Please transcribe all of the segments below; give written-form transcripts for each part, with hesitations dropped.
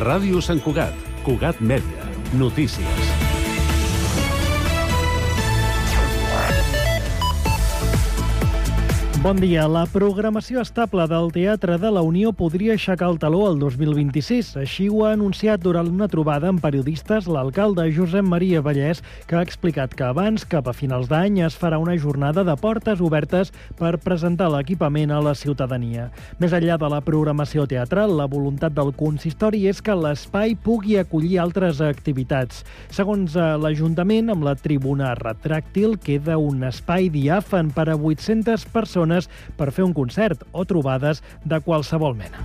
Ràdio Sant Cugat, Cugat Mèdia, notícies. Bon dia. La programació estable del Teatre de la Unió podria aixecar el taló el 2026. Així ho ha anunciat durant una trobada amb periodistes l'alcalde Josep Maria Vallès, que ha explicat que abans, cap a finals d'any, es farà una jornada de portes obertes per presentar l'equipament a la ciutadania. Més enllà de la programació teatral, la voluntat del consistori és que l'espai pugui acollir altres activitats. Segons l'Ajuntament, amb la tribuna retràctil queda un espai diàfan per a 800 persones per fer un concert o trobades de qualsevol mena.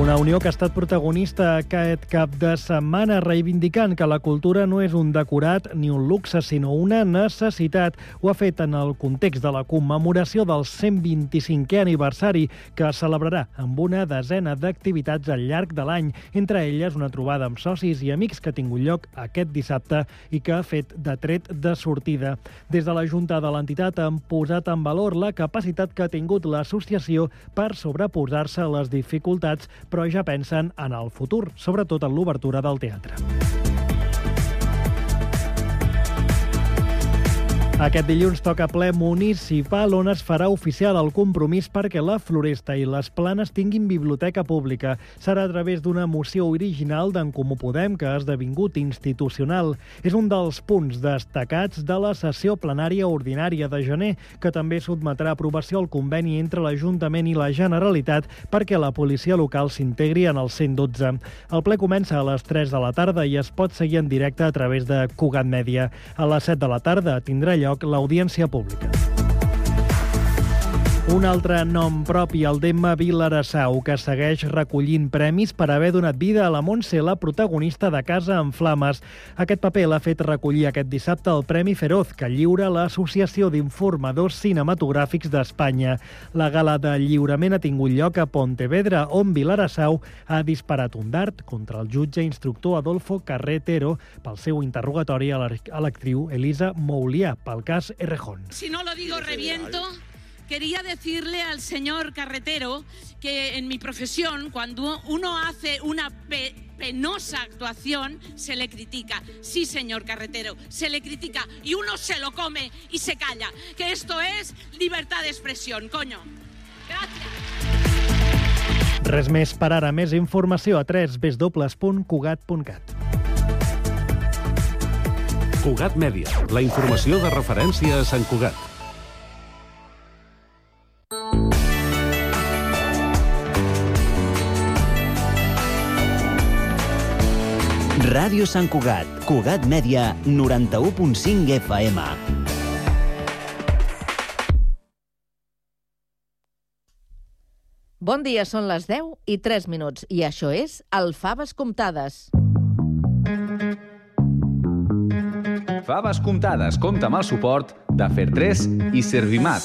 Una Unió que ha estat protagonista aquest cap de setmana reivindicant que la cultura no és un decorat ni un luxe, sinó una necessitat. Ho ha fet en el context de la commemoració del 125è aniversari, que es celebrarà amb una desena d'activitats al llarg de l'any, entre elles una trobada amb socis i amics que ha tingut lloc aquest dissabte i que ha fet de tret de sortida. Des de la Junta de l'entitat han posat en valor la capacitat que ha tingut l'associació per sobreposar-se a les dificultats, però ja pensen en el futur, sobretot en l'obertura del teatre. Aquest dilluns toca ple municipal, on es farà oficial el compromís perquè la Floresta i les Planes tinguin biblioteca pública. Serà a través d'una moció original d'en Comú Podem que ha esdevingut institucional. És un dels punts destacats de la sessió plenària ordinària de gener, que també sotmetrà a aprovació el conveni entre l'Ajuntament i la Generalitat perquè la policia local s'integri en el 112. El ple comença a les 3 de la tarda i es pot seguir en directe a través de Cugat Mèdia. A les 7 de la tarda tindrà lloc l'audiència pública. Un altre nom propi, el d'Emma Vilarassau, que segueix recollint premis per haver donat vida a la Montse, la protagonista de Casa en Flames. Aquest paper l'ha fet recollir aquest dissabte el Premi Feroz, que lliura l'Associació d'Informadors Cinematogràfics d'Espanya. La gala de lliurament ha tingut lloc a Pontevedra, on Vilarassau ha disparat un dart contra el jutge instructor Adolfo Carretero pel seu interrogatori a l'actriu Elisa Moulià pel cas Errejón. Si no lo digo, reviento. Quería decirle al señor Carretero que en mi profesión, cuando uno hace una penosa actuación, se le critica. Sí, señor Carretero, se le critica y uno se lo come y se calla. Que esto es libertad de expresión, coño. Gracias. Res més per ara. Més informació a www.cugat.cat. Cugat Mèdia, la informació de referència a Sant Cugat. Ràdio Sant Cugat, Cugat Mèdia, 91.5 FM. Bon dia, són les 10:03 i això és el Faves Comptades. Faves Comptades compta amb el suport de Fer3 i Servimat.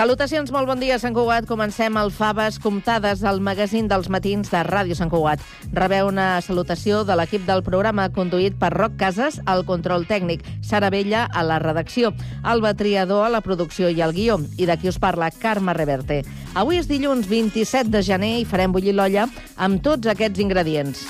Salutacions, molt bon dia, Sant Cugat. Comencem el Faves Comptades, el magazín dels matins de Ràdio Sant Cugat. Rebeu una salutació de l'equip del programa conduït per Roc Casas al control tècnic, Sara Vella a la redacció, Alba Triador a la producció i al guió, i d'aquí us parla Carme Reverte. Avui és dilluns 27 de gener i farem bullir l'olla amb tots aquests ingredients.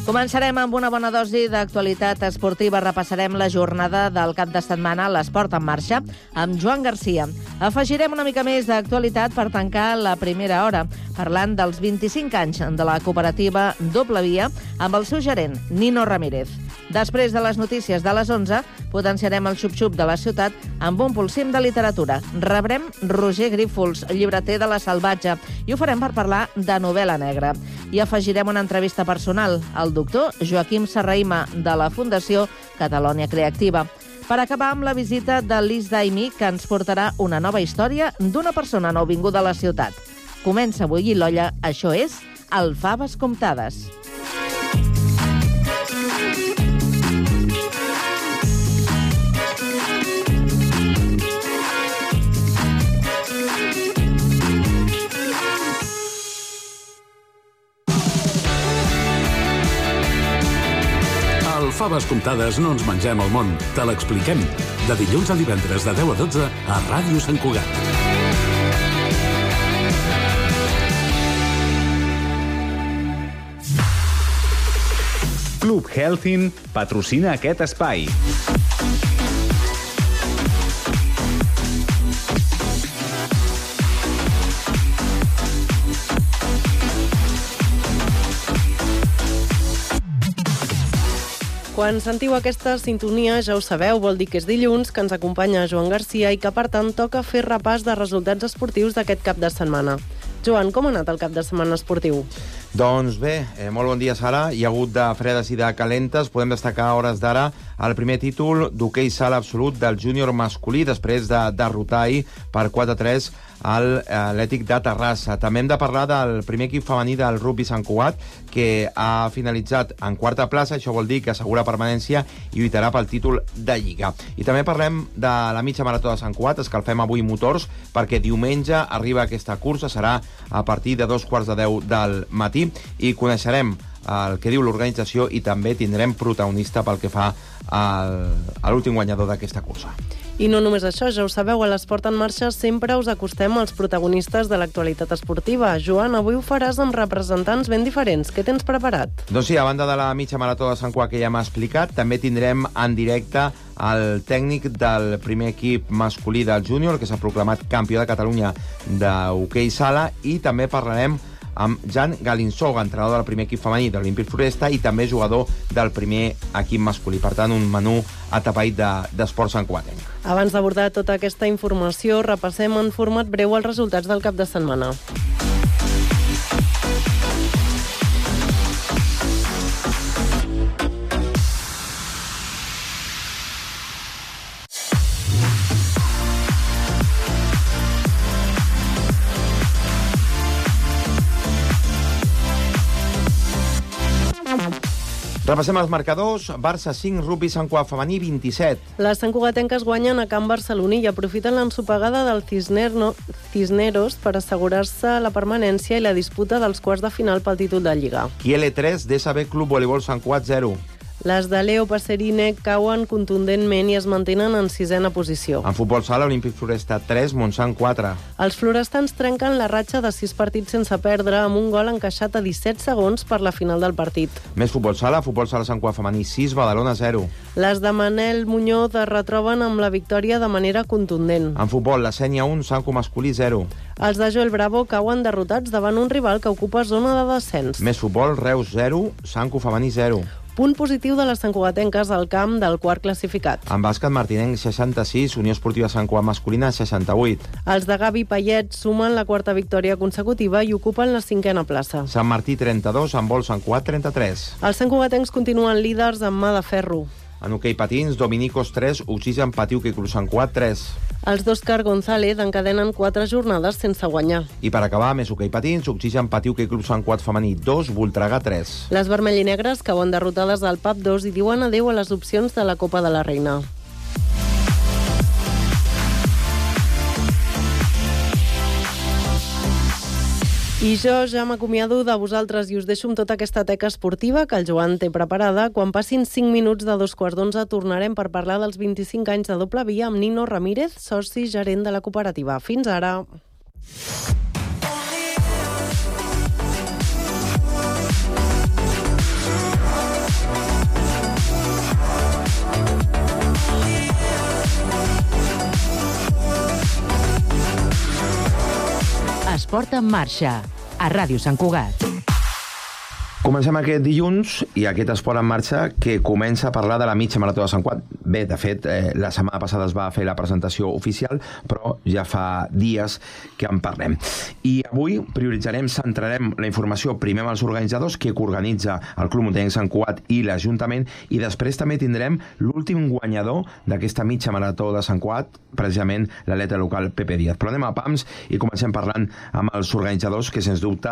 Començarem amb una bona dosi d'actualitat esportiva. Repassarem la jornada del cap de setmana a l'Esport en Marxa amb Joan Garcia. Afegirem una mica més d'actualitat per tancar la primera hora, parlant dels 25 anys de la cooperativa Doble Via amb el seu gerent, Nino Ramírez. Després de les notícies de les 11, potenciarem el xup-xup de la ciutat amb un polsim de literatura. Rebrem Roger Grífols, llibreter de La Salvatge, i ho farem per parlar de novel·la negra. I afegirem una entrevista personal al doctor Joaquim Serraima, de la Fundació Catalònia Creativa. Per acabar amb la visita de Liz Daimi, que ens portarà una nova història d'una persona nouvinguda a la ciutat. Comença a bullir l'olla, això és el Faves Comptades. el Faves Comptades no ens mengem el món, te l'expliquem. De dilluns a divendres de 10 a 12 a Ràdio Sant Cugat. Club Healthin patrocina aquest espai. Quan sentiu aquesta sintonia, ja ho sabeu, vol dir que és dilluns, que ens acompanya Joan Garcia i que, per tant, toca fer repàs de resultats esportius d'aquest cap de setmana. Joan, com ha anat el cap de setmana esportiu? Doncs bé, molt bon dia, Sara. Hi ha hagut de fredes i de calentes. Podem destacar a hores d'ara el primer títol d'hoquei sala absolut del júnior masculí, després de derrotar ahir per 4-3 a l'Atlètic de Terrassa. També hem de parlar del primer equip femení del rugby Sant Cugat, que ha finalitzat en quarta plaça. Això vol dir que assegura permanència i lluitarà pel títol de Lliga. I també parlem de la mitja marató de Sant Cugat. Escalfem avui motors perquè diumenge arriba aquesta cursa. Serà a partir de 2:15 del matí i coneixerem el que diu l'organització i també tindrem protagonista pel que fa a l'últim guanyador d'aquesta cursa. I no només això, ja ho sabeu, a l'Esport en Marxa sempre us acostem als protagonistes de l'actualitat esportiva. Joan, avui ho faràs amb representants ben diferents. Què tens preparat? Doncs sí, a banda de la mitja marató de Sant Cugat que ja m'ha explicat, també tindrem en directe el tècnic del primer equip masculí del júnior, que s'ha proclamat campió de Catalunya d'hoquei sala, i també parlarem amb Jan Galinsoga, entrenador del primer equip femení de l'Olímpic Floresta i també jugador del primer equip masculí. Per tant, un menú atapeït d'esport santcugatenc. Abans d'abordar tota aquesta informació, repassem en format breu els resultats del cap de setmana. Repassem els marcadors. Barça 5, rugby Sant Cugat femení 27. Les santcugatenques guanyen a Camp Barceloní i aprofiten l'ensopegada del Cisneros per assegurar-se la permanència i la disputa dels quarts de final pel títol de Lliga. Kiele 3, DSB Club Voleibol Sant Cugat 0. Les de Leo Passerine cauen contundentment i es mantenen en sisena posició. En futbol sala, Olímpic Floresta 3, Montsant 4. Els florestans trenquen la ratxa de 6 partits sense perdre amb un gol encaixat a 17 segons per la final del partit. Més futbol sala Sant Cugat femení 6, Badalona 0. Les de Manel Muñoz es retroben amb la victòria de manera contundent. En futbol, la Sénia 1, Sanco masculí 0. Els de Joel Bravo cauen derrotats davant un rival que ocupa zona de descens. Més futbol, Reus 0, Sanco femení 0. Punt positiu de les santcugatenques al camp del quart classificat. En bàsquet, Martinenc 66, Unió Esportiva Sant Cugat masculina 68. Els de Gavi Payet sumen la quarta victòria consecutiva i ocupen la 5a plaça. Sant Martí 32, Handbol Sant Cugat 33. Els santcugatencs continuen líders amb mà de ferro. En hoquei patins, Dominicos 3, Oxigen Patiu que Club Sant Cugat 3. Els d'Òscar González encadenen 4 jornades sense guanyar. I per acabar, més hoquei patins, Oxigen Patiu que Club Sant Cugat femení 2, Voltregà 3. Les vermell i negres cauen derrotades al PAP 2 i diuen adéu a les opcions de la Copa de la Reina. I jo ja m'acomiado de vosaltres i us deixo amb tota aquesta teca esportiva que el Joan té preparada. Quan passin 5 minuts de 2:15 tornarem per parlar dels 25 anys de doble via amb Nino Ramírez, soci gerent de la cooperativa. Fins ara! Esport en marxa, a Ràdio Sant Cugat. Comencem aquest dilluns i aquest esport en marxa que comença a parlar de la mitja marató de Sant Cugat. Bé, de fet, la setmana passada es va fer la presentació oficial, però ja fa dies que en parlem. I avui prioritzarem, centrarem la informació primer amb els organitzadors que organitza el Club Muntanyenc Sant Cugat i l'Ajuntament, i després també tindrem l'últim guanyador d'aquesta mitja marató de Sant Cugat, precisament l'atleta local Pepe Díaz. Però anem a pams i comencem parlant amb els organitzadors que, sens dubte,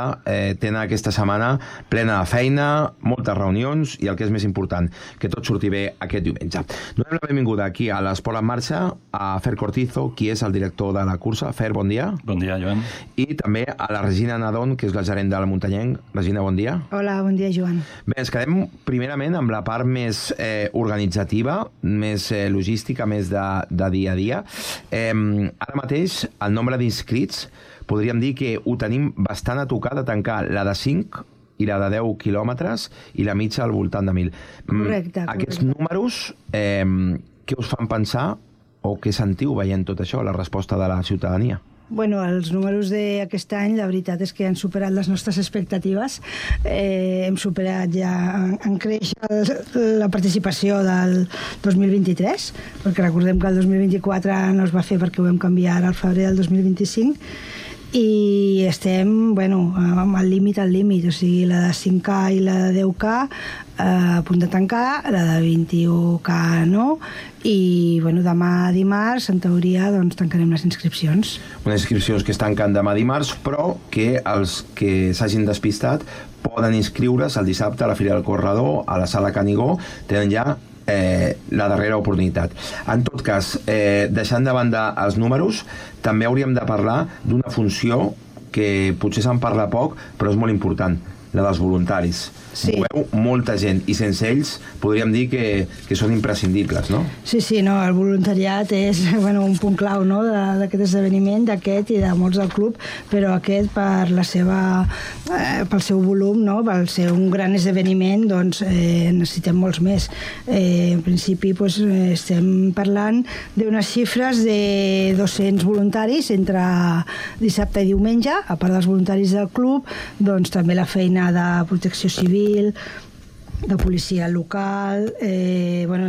tenen aquesta setmana plena Molta feina, moltes reunions i el que és més important, que tot surti bé aquest diumenge. Donem la benvinguda aquí a l'Esport en Marxa a Fer Cortizo, qui és el director de la cursa. Fer, bon dia. Bon dia, Joan. I també a la Regina Nadon, que és la gerent del Muntanyenc. Regina, bon dia. Hola, bon dia, Joan. Bé, ens quedem primerament amb la part més organitzativa, més logística, més de dia a dia. Ara mateix, el nombre d'inscrits, podríem dir que ho tenim bastant a tocar de tancar la de 5 i la de 10 quilòmetres i la mitja al voltant de 1.000. Correcte. Aquests números, què us fan pensar o què sentiu veient tot això, la resposta de la ciutadania? Bueno, els números d'aquest any, la veritat és que han superat les nostres expectatives. Hem superat ja en créixer la participació del 2023, perquè recordem que el 2024 no es va fer perquè ho vam canviar al febrer del 2025, i estem, bueno, al límit, o sigui, la de 5K i la de 10K a punt de tancar, la de 21K no, i bueno, demà dimarts, en teoria, doncs tancarem les inscripcions. Unes inscripcions que es tanquen demà dimarts, però que els que s'hagin despistat poden inscriure's el dissabte a la Fira del Corredor, a la Sala Canigó, tenen ja la darrera oportunitat. En tot cas, deixant de banda els números, també hauríem de parlar d'una funció que potser se'n parla poc, però és molt important, la dels voluntaris. Sí. Moveu molta gent i sense ells podríem dir que són imprescindibles, no? Sí, no, el voluntariat és un punt clau, no, d'aquest esdeveniment, d'aquest i de molts del club, però aquest pel seu volum, no, per ser un gran esdeveniment, doncs necessitem molts més. En principi estem parlant d'unes xifres de 200 voluntaris entre dissabte i diumenge, a part dels voluntaris del club, doncs també la feina de protecció civil, de policia local,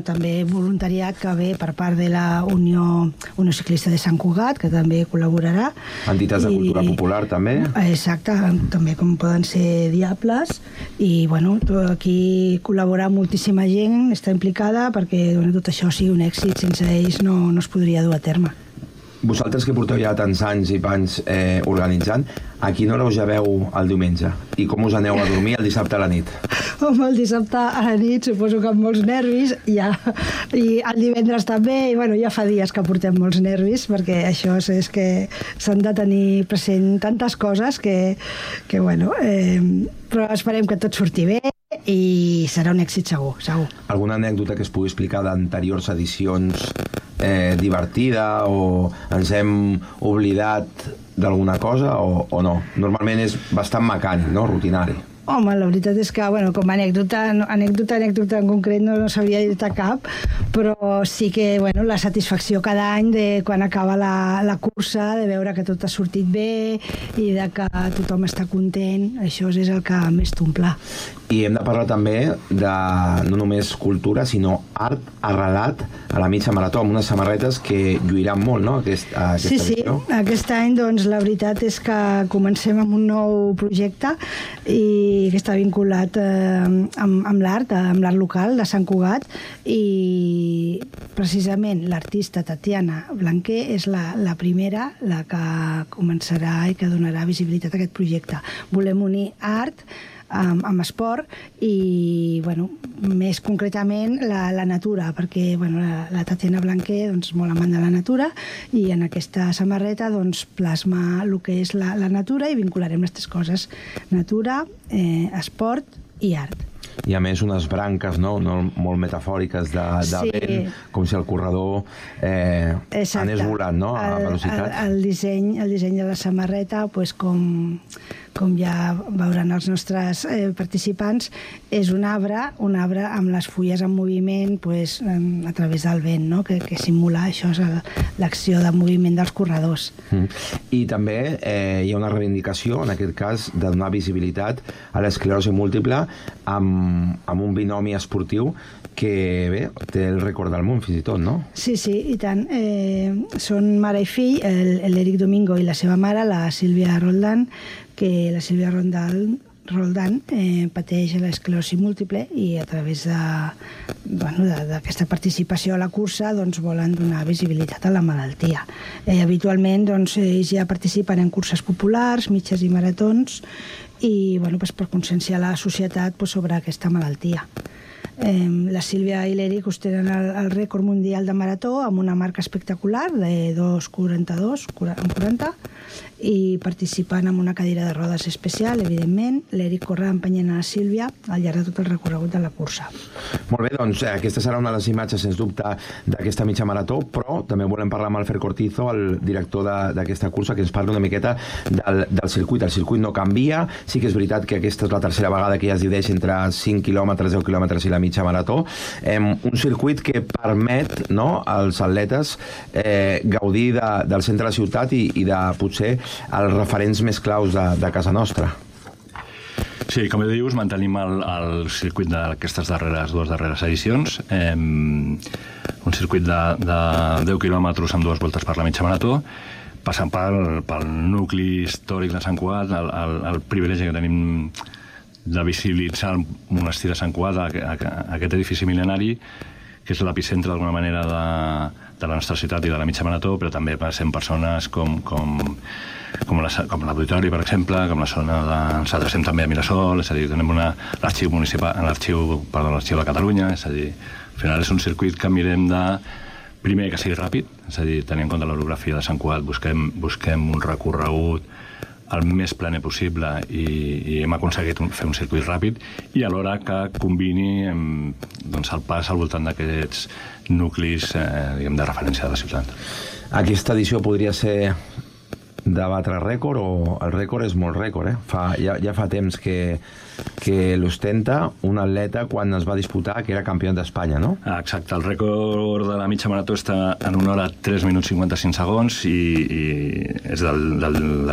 també voluntariat que ve per part de la Unió Ciclista de Sant Cugat, que també col·laborarà. Entitats de cultura popular, també. Exacte, també com poden ser Diables, i aquí col·labora moltíssima gent, està implicada perquè tot això sigui un èxit, sense ells no es podria dur a terme. Vosaltres que porteu ja tants anys i panys organitzant, a quina hora us lleveu el diumenge? I com us aneu a dormir el dissabte a la nit? Home, el dissabte a la nit suposo que amb molts nervis, i el divendres també, i ja fa dies que portem molts nervis, perquè això és que s'han de tenir present tantes coses però esperem que tot surti bé i serà un èxit segur. Alguna anècdota que es pugui explicar d'anteriors edicions divertida o ens hem oblidat d'alguna cosa o no? Normalment és bastant mecànic, no? Rutinari. Home, la veritat és que, com a anècdota en concret no s'hauria dit cap, però sí que, la satisfacció cada any de quan acaba la cursa, de veure que tot ha sortit bé i de que tothom està content, això és el que més t'omple. I hem de parlar també de no només cultura, sinó art arrelat a la mitja marató, amb unes samarretes que lluiran molt, no?, aquesta edició. Sí, aquest any, doncs, la veritat és que comencem amb un nou projecte i que està vinculat amb l'art local de Sant Cugat, i precisament l'artista Tatiana Blanquer és la primera, la que començarà i que donarà visibilitat a aquest projecte. Volem unir art amb esport i, més concretament la natura, perquè la Tatiana Blanquer és molt amant de la natura, i en aquesta samarreta plasma el que és la natura, i vincularem les tres coses: natura, esport i art. I a més unes branques molt metafòriques de vent, com si el corredor anés volant, no?, a velocitat. El disseny de la samarreta, com ja veuran els nostres participants, és un arbre amb les fulles en moviment a través del vent, que simula això, l'acció de moviment dels corredors. I també hi ha una reivindicació, en aquest cas, de donar visibilitat a l'esclerosi múltiple amb un binomi esportiu que, té el rècord del món, fins i tot, no? Sí, i tant. Són mare i fill, l'Eric Domingo i la seva mare, la Sílvia Roldán, que la Sílvia Roldán pateix l'esclerosi múltiple, i a través d'aquesta participació a la cursa volen donar visibilitat a la malaltia. Habitualment ells ja participen en curses populars, mitges i maratons, i per conscienciar la societat sobre aquesta malaltia. La Sílvia i l'Eric ostenen el rècord mundial de marató amb una marca espectacular de 2:42 i participen en una cadira de rodes especial, evidentment. L'Eric corre empenyent a la Sílvia al llarg de tot el recorregut de la cursa. Molt bé, doncs aquesta serà una de les imatges, sens dubte, d'aquesta mitja marató, però també volem parlar amb el Fer Cortizo, el director d'aquesta cursa, que ens parla una miqueta del circuit. El circuit no canvia, sí que és veritat que aquesta és la tercera vegada que ja es divideix entre 5 quilòmetres, 10 quilòmetres i la mitja marató. Un circuit que permet als atletes gaudir del centre de la ciutat i de, potser, els referents més claus de casa nostra. Sí, com dius, mantenim el circuit d'aquestes dues darreres edicions. Un circuit de 10 quilòmetres amb 2 voltes per la mitja marató, passant pel nucli històric de Sant Cugat, el privilegi que tenim de visibilitzar el monestir de Sant Cugat, aquest edifici mil·lenari, que és l'epicentre d'alguna manera de la nostra ciutat i de la mitja marató, però també passem persones com l'auditori, per exemple, com la zona de... Nosaltres estem també a Mirasol, és a dir, tenem l'arxiu de Catalunya, és a dir, al final és un circuit que mirem de... Primer, que sigui ràpid, és a dir, tenint en compte l'orografia de Sant Cugat, busquem un recorregut el més planer possible i hem aconseguit fer un circuit ràpid i alhora que combini el pas al voltant d'aquests nuclis de referència de la ciutat. Aquesta edició podria ser de batre rècord o el rècord és molt rècord, ja fa temps que l'ostenta un atleta quan es va disputar que era campió d'Espanya, no? Exacte, el rècord de la mitja marató està en 1 hora 3 minuts 55 segons i és de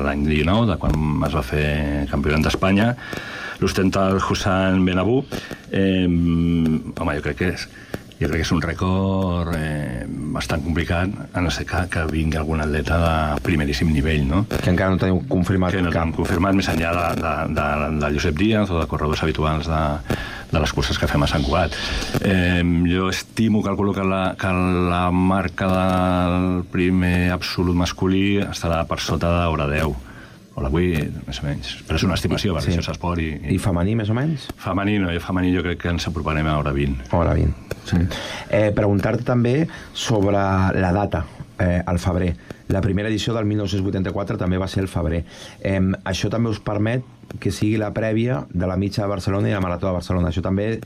l'any 19, de quan es va fer campió d'Espanya. L'ostenta el Hussan Benabou. Home, jo crec que és un rècord bastant complicat, a no ser que vingui algun atleta de primeríssim nivell, no? Que encara no teniu confirmat cap. Que no tenim confirmat, més enllà de Josep Díaz o de corredors habituals de les curses que fem a Sant Cugat. Jo estimo, calculo que la marca del primer absolut masculí estarà per sota d'hora 10. O la 8, més o menys. Però és una estimació, perquè això és esport. I femení, més o menys? Femení jo crec que ens aproparem a hora 20. Hora 20, sí. Preguntar-te també sobre la data, al febrer. La primera edició del 1984 també va ser al febrer. Això també us permet que sigui la prèvia de la mitja de Barcelona i la marató de Barcelona. Això també...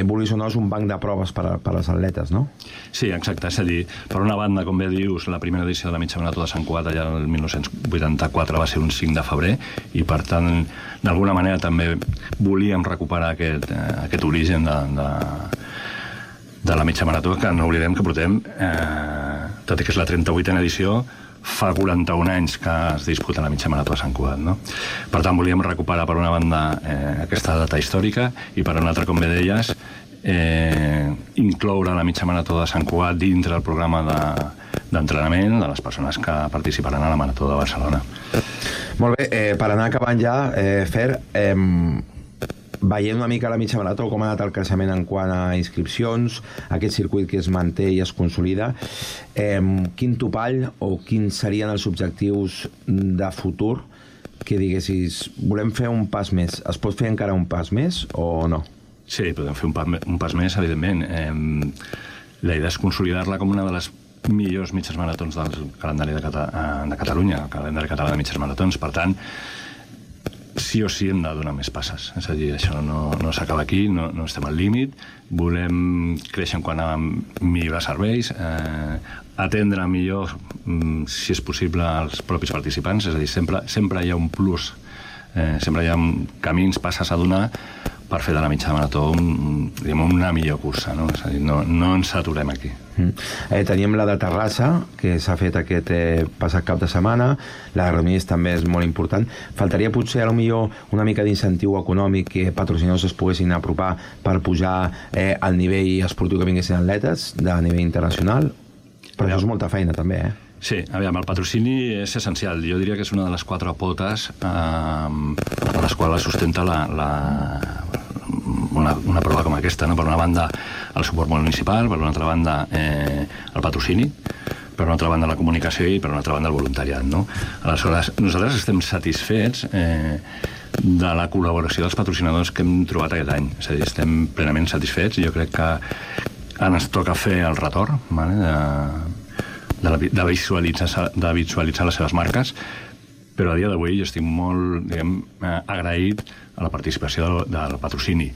vulguis o no, és un banc de proves per a les atletes, no? Sí, exacte. És a dir, per una banda, com bé dius, la primera edició de la mitja marató de Sant Cugat allà el 1984 va ser un 5 de febrer i, per tant, d'alguna manera també volíem recuperar aquest origen de la mitja marató, que no oblidem que portem, tot i que és la 38a edició, fa 41 anys que es disputa la mitja marató a Sant Cugat, no? Per tant, volíem recuperar, per una banda, aquesta data històrica i, per una altra, com bé deies, incloure la mitja marató de Sant Cugat dintre del programa d'entrenament de les persones que participaran a la marató de Barcelona. Molt bé, per anar acabant ja, Fer, veient una mica la mitja marató, com ha anat el creixement en quant a inscripcions, aquest circuit que es manté i es consolida, quin topall o quins serien els objectius de futur que diguessis, volem fer un pas més? Es pot fer encara un pas més o no? Sí, podem fer un pas més, evidentment. La idea és consolidar-la com una de les millors mitges maratons del calendari de Catalunya, el calendari català de mitges maratons. Per tant, sí o sí hem de donar més passes. És a dir, això no s'acaba aquí, no estem al límit. Volem créixer en quant a millorar serveis, atendre millor, si és possible, els propis participants. És a dir, sempre hi ha un plus, sempre hi ha camins, passes a donar per fer de la mitja marató una millor cursa, no? És a dir, no ens aturem aquí. Teníem la de Terrassa, que s'ha fet aquest passat cap de setmana, la de Granollers també és molt important. Faltaria potser potser una mica d'incentiu econòmic que patrocinadors es poguessin apropar per pujar al nivell esportiu que vinguessin atletes de nivell internacional, però això és molta feina també, Sí, aviam, el patrocini és essencial. Jo diria que és una de les 4 potes a les quals sustenta una prova com aquesta, no? Per una banda, el suport municipal, per una altra banda, el patrocini, per una altra banda la comunicació i per una altra banda el voluntariat, no? Aleshores, nosaltres estem satisfets de la col·laboració dels patrocinadors que hem trobat aquest any. És a dir, estem plenament satisfets. Jo crec que ara ens toca fer el retorn, vale? de visualitzar les seves marques, però a dia d'avui jo estic molt, diguem, agraït a la participació del patrocini,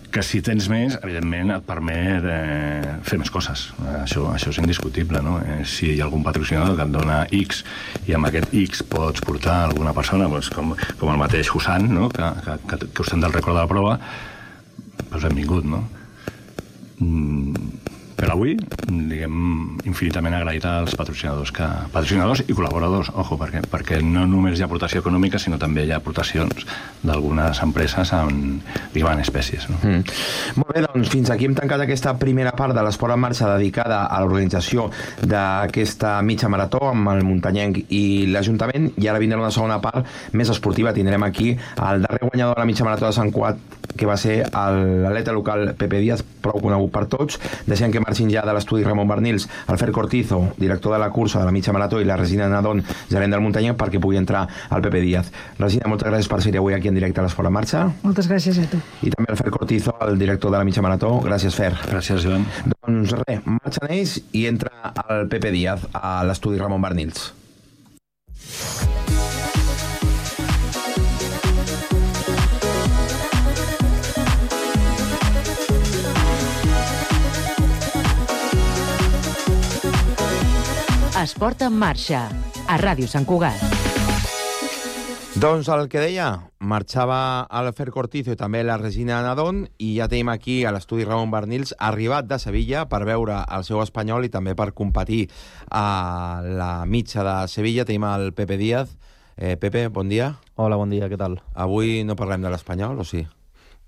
que si tens més, evidentment et permet fer més coses. Això és indiscutible, no? Si hi ha algun patrocinador que et dona X i amb aquest X pots portar alguna persona, doncs, com el mateix Hussan, no? que ostenta el rècord de la prova, doncs benvingut, no? Per avui, diguem, infinitament agraït als patrocinadors i col·laboradors, ojo, perquè no només hi ha aportació econòmica, sinó també hi ha aportacions d'algunes empreses en espècies. No? Molt bé, doncs fins aquí hem tancat aquesta primera part de l'Esport en Marxa dedicada a l'organització d'aquesta mitja marató amb el muntanyenc i l'Ajuntament, i ara vindrà una segona part més esportiva. Tindrem aquí el darrer guanyador de la mitja marató de Sant Cugat, que va ser l'atleta local Pepe Díaz, prou conegut per tots. Deixem que marxin ja de l'estudi Ramon Bernils, el Fer Cortizo, director de la cursa de la mitja marató, i la Regina Nadón, gerent del muntanyenc, perquè pugui entrar el Pepe Díaz. Regina, moltes gràcies per ser avui aquí en directe a l'Esport en Marxa. Moltes gràcies a tu. I també el Fer Cortizo, el director de la mitja marató. Gràcies, Fer. Gràcies, Joan. Doncs res, marxen ells i entra el Pepe Díaz a l'estudi Ramon Bernils. Esport en Marxa, a Ràdio Sant Cugat. Doncs el que deia, marxava el Fer Cortizo i també la Regina Nadón, i ja tenim aquí a l'estudi Ramon Bernils, arribat de Sevilla per veure el seu espanyol i també per competir a la mitja de Sevilla. Tenim el Pepe Díaz. Pepe, bon dia. Hola, bon dia, què tal? Avui no parlem de l'espanyol, o sí?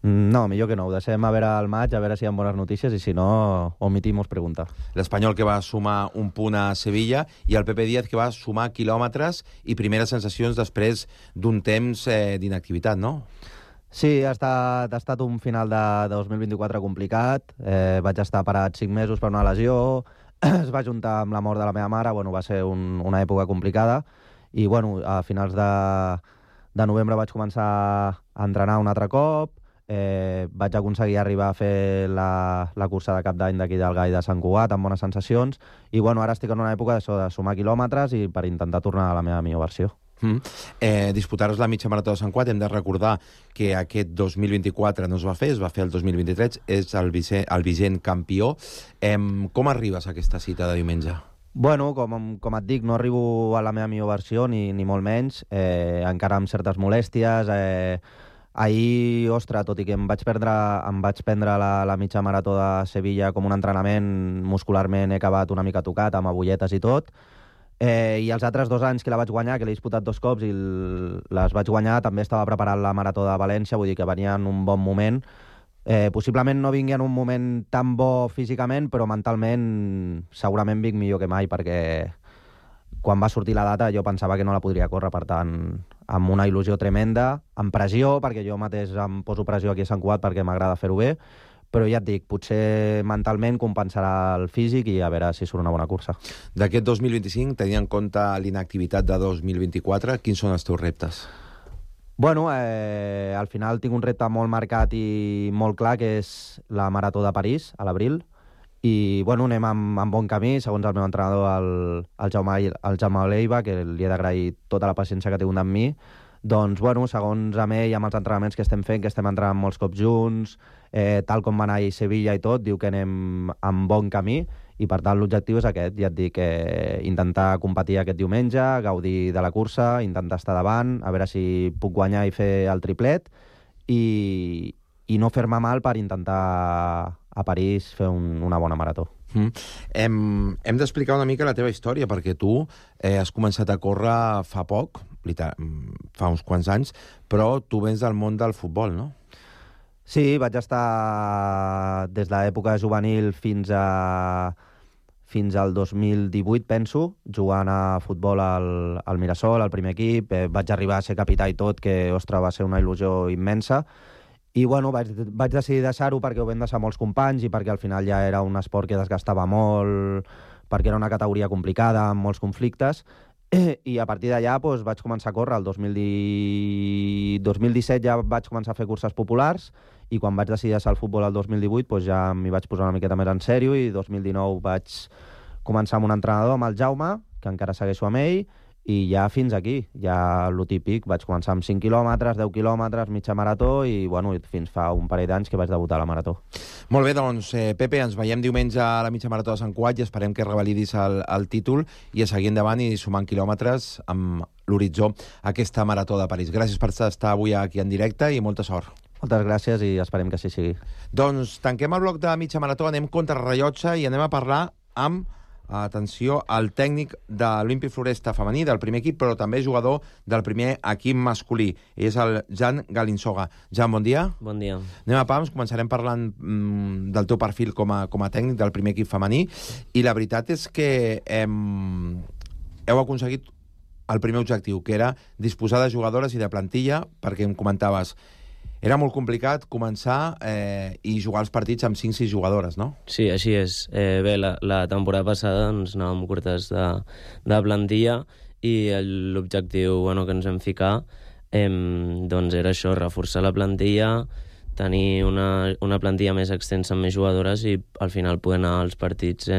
No, millor que no. Ho deixem a veure el maig, a veure si hi ha bones notícies, i si no, omitimos pregunta. L'Espanyol, que va sumar un punt a Sevilla, i el Pepe Díaz, que va sumar quilòmetres i primeres sensacions després d'un temps d'inactivitat, no? Sí, ha estat un final de 2024 complicat. Vaig estar parat 5 mesos per una lesió, es va juntar amb la mort de la meva mare, va ser una època complicada, i a finals de novembre vaig començar a entrenar un altre cop. Vaig aconseguir arribar a fer la cursa de cap d'any d'aquí del Gai de Sant Cugat amb bones sensacions, i ara estic en una època de sumar quilòmetres i per intentar tornar a la meva millor versió. Disputar-nos la mitja marató de Sant Cugat, hem de recordar que aquest 2024 no es va fer el 2023, és el vigent campió. Com arribes a aquesta cita de diumenge? Com et dic, no arribo a la meva millor versió, ni molt menys, encara amb certes molèsties. Ahir, tot i que em vaig prendre la mitja marató de Sevilla com un entrenament, muscularment he acabat una mica tocat, amb agulletes i tot, i els altres 2 anys que la vaig guanyar, que l'he disputat 2 cops i les vaig guanyar, també estava preparant la marató de València, vull dir que venia en un bon moment. Possiblement no vingui en un moment tan bo físicament, però mentalment segurament vinc millor que mai, perquè quan va sortir la data jo pensava que no la podria córrer, per tant, amb una il·lusió tremenda, amb pressió, perquè jo mateix em poso pressió aquí a Sant Cugat perquè m'agrada fer-ho bé, però ja et dic, potser mentalment compensarà el físic i a veure si surt una bona cursa. D'aquest 2025, tenint en compte l'inactivitat de 2024, quins són els teus reptes? Al final tinc un repte molt marcat i molt clar, que és la Marató de París, a l'abril, i anem amb bon camí, segons el meu entrenador, el Jaume Leiva, que li he d'agrair tota la paciència que ha tingut amb mi. Doncs, segons amb ell, amb els entrenaments que estem fent, que estem entrenant molts cops junts, tal com va anar a Sevilla i tot, diu que anem amb bon camí, i per tant l'objectiu és aquest, ja et dic, intentar competir aquest diumenge, gaudir de la cursa, intentar estar davant, a veure si puc guanyar i fer el triplet, i no fer-me mal per intentar a París fer una bona marató. Hem d'explicar una mica la teva història, perquè tu has començat a córrer fa poc, fa uns quants anys, però tu vens del món del futbol, no? Sí, vaig estar des de l'època juvenil fins al 2018, penso, jugant a futbol al Mirasol, al primer equip. Vaig arribar a ser capità i tot, que, ostres, va ser una il·lusió immensa. I, vaig decidir deixar-ho perquè ho vam deixar molts companys i perquè al final ja era un esport que desgastava molt perquè era una categoria complicada, amb molts conflictes, i a partir d'allà doncs, vaig començar a córrer. El 2017 ja vaig començar a fer curses populars, i quan vaig decidir deixar el futbol el 2018 doncs ja m'hi vaig posar una miqueta més en sèrio, i 2019 vaig començar amb un entrenador, amb el Jaume, que encara segueixo amb ell, i ja fins aquí, ja lo típic. Vaig començar amb 5 quilòmetres, 10 quilòmetres, mitja marató, i bueno, fins fa un parell d'anys que vaig debutar a la marató. Molt bé, doncs, Pepe, ens veiem diumenge a la mitja marató de Sant Cugat i esperem que revalidis el títol i a seguir endavant i sumant quilòmetres amb l'horitzó aquesta marató de París. Gràcies per estar avui aquí en directe i molta sort. Moltes gràcies i esperem que així sigui. Doncs tanquem el bloc de mitja marató, anem contra rellotge i anem a parlar amb, atenció, el tècnic de l'Olímpic Floresta femení, del primer equip, però també jugador del primer equip masculí. És el Jan Galinsoga. Jan, bon dia. Bon dia. Anem a pams, començarem parlant del teu perfil com a tècnic del primer equip femení, i la veritat és que heu aconseguit el primer objectiu, que era disposar de jugadores i de plantilla, perquè em comentaves, era molt complicat començar i jugar els partits amb 5-6 jugadores, no? Sí, així és. Bé, la temporada passada ens anàvem curtes de plantilla i l'objectiu que ens vam ficar doncs era això, reforçar la plantilla, tenir una plantilla més extensa amb més jugadores i al final poder anar als partits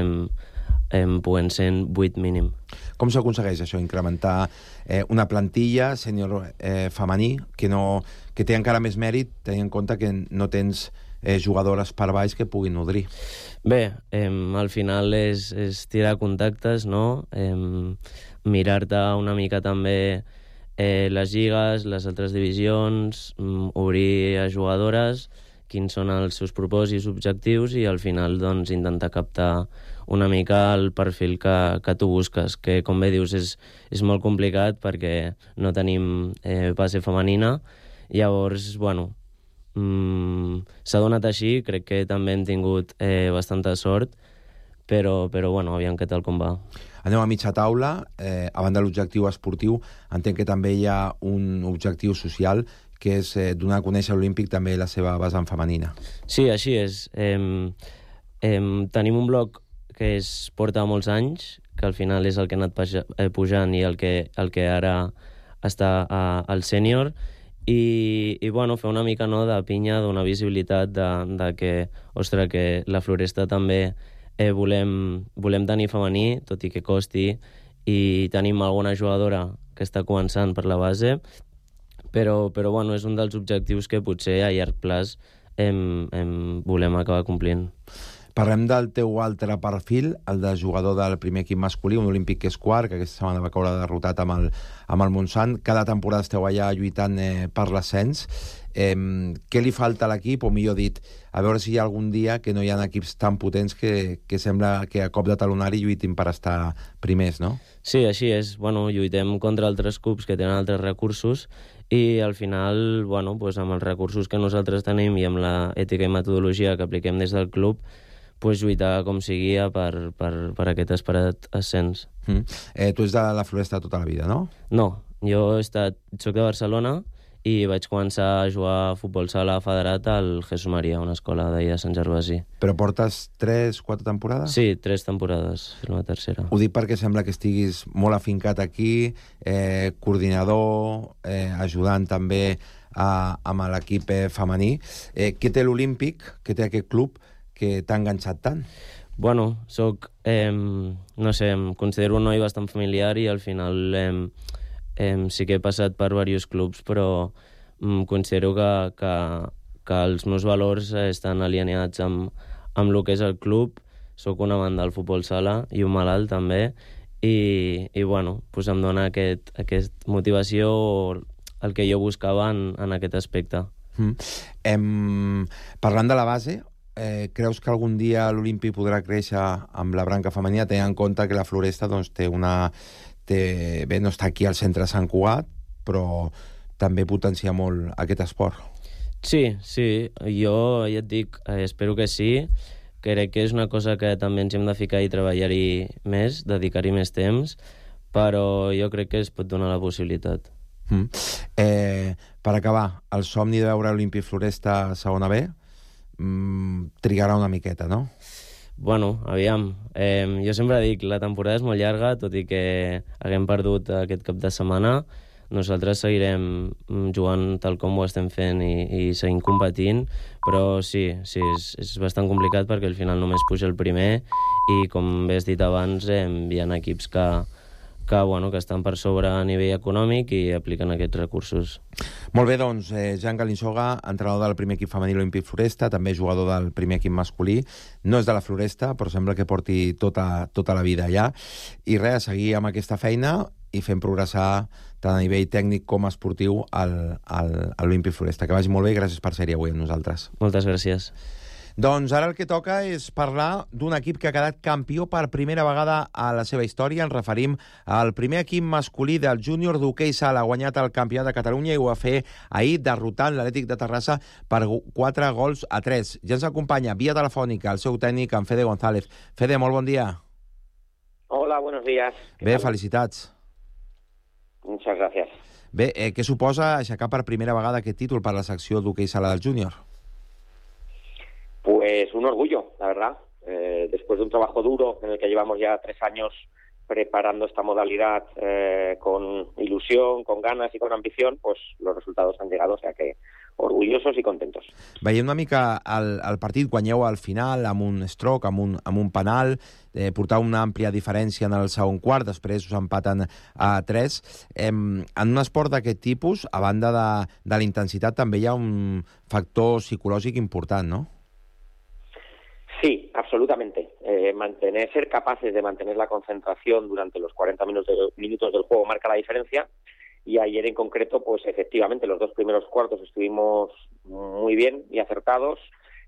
podent ser 8 mínim. Com s'aconsegueix això, incrementar una plantilla sènior femení que té encara més mèrit, tenint en compte que no tens jugadores per baix que puguin nodrir? Bé, al final és tirar contactes, no? Mirar-te una mica també les lligues, les altres divisions, obrir a jugadores, quins són els seus propòsits, objectius, i al final doncs, intentar captar una mica el perfil que tu busques, que com bé dius és molt complicat perquè no tenim base femenina. Llavors, bueno, s'ha donat així, crec que també hem tingut bastanta sort, però bueno, aviam què tal com va. Anem a mitja taula. A banda de l'objectiu esportiu, entenc que també hi ha un objectiu social, que és donar a conèixer a l'Olímpic també la seva vessant femenina. Sí, així és. Tenim un blog que es porta molts anys, que al final és el que ha anat pujant i el que ara està al sènior, i bueno, fer una mica de pinya, donar visibilitat de que, ostres, que la Floresta també volem tenir femení, tot i que costi, i tenim alguna jugadora que està començant per la base, però bueno, és un dels objectius que potser a llarg plaç volem acabar complint. Parlem del teu altre perfil, el de jugador del primer equip masculí, un olímpic que és quart, que aquesta setmana va caure derrotat amb el Montsant. Cada temporada esteu allà lluitant per l'ascens. Què li falta a l'equip, o millor dit, a veure si hi ha algun dia que no hi ha equips tan potents que sembla que a cop de talonari lluitin per estar primers, no? Sí, així és. Bueno, lluitem contra altres clubs que tenen altres recursos i al final, bueno, doncs amb els recursos que nosaltres tenim i amb l'ètica i metodologia que apliquem des del club, lluitar com sigui per aquest esperat ascens. Tu ets de la Floresta tota la vida, no? No, jo soc de Barcelona i vaig començar a jugar a futbol sala federat al Jesús Maria, una escola d'ahir de Sant Gervasi. Però portes 3-4 temporades? Sí, 3 temporades, la tercera. Ho dic perquè sembla que estiguis molt afincat aquí, coordinador, ajudant també amb l'equip femení. Què té l'Olímpic, què té aquest club, que t'ha enganxat tant? Bueno, soc, no sé, em considero un noi bastant familiar i al final sí que he passat per diversos clubs, però considero que els meus valors estan alineats amb el que és el club. Soc un amant del futbol sala i un malalt també, i bueno, doncs em dona aquesta motivació, el que jo buscava en aquest aspecte. Parlant de la base, creus que algun dia l'Olímpic podrà créixer amb la branca femenina, tenint en compte que la Floresta doncs, bé, no està aquí al centre de Sant Cugat, però també potencia molt aquest esport? Sí, jo ja et dic, espero que sí. Crec que és una cosa que també ens hem de ficar i treballar-hi més, dedicar-hi més temps, però jo crec que es pot donar la possibilitat. Per acabar, el somni de veure l'Olímpic Floresta a segona B trigarà una miqueta, no? Bueno, aviam, jo sempre dic, la temporada és molt llarga, tot i que haguem perdut aquest cap de setmana. Nosaltres seguirem jugant tal com ho estem fent i seguim competint, però sí, és bastant complicat perquè al final només puja el primer i, com bé has dit abans, hi ha equips que estan per sobre a nivell econòmic i apliquen aquests recursos. Molt bé, doncs, Jan Galinsoga, entrenador del primer equip femení Olímpic Floresta, també jugador del primer equip masculí. No és de la Floresta, però sembla que porti tota la vida allà. I res, seguir amb aquesta feina i fent progressar tant a nivell tècnic com esportiu a l'Olímpic Floresta. Que vagi molt bé i gràcies per ser-hi avui amb nosaltres. Moltes gràcies. Doncs ara el que toca és parlar d'un equip que ha quedat campió per primera vegada a la seva història. Ens referim al primer equip masculí del júnior d'hoquei sala. Ha guanyat el campionat de Catalunya i ho va fer ahir derrotant l'Atlètic de Terrassa per 4-3. Ja ens acompanya via telefònica el seu tècnic, en Fede González. Fede, molt bon dia. Hola, buenos días. Bé, felicitats. Muchas gracias. Bé, què suposa aixecar per primera vegada aquest títol per la secció d'hoquei sala del júnior? Pues un orgullo, la verdad. Después de un trabajo duro en el que llevamos ya 3 años preparando esta modalidad con ilusión, con ganas y con ambición, pues los resultados han llegado, o sea que orgullosos i contentos. Veiem una mica el partit, guanyeu al final amb un stroke, amb un penal, portau una àmplia diferència en el segon quart, després us empaten a 3. En un esport d'aquest tipus, a banda de la intensitat, també hi ha un factor psicològic important, no? Sí, absolutamente. Ser capaces de mantener la concentración durante los 40 minutos del juego marca la diferencia. Y ayer en concreto, pues efectivamente, los 2 primeros cuartos estuvimos muy bien y acertados.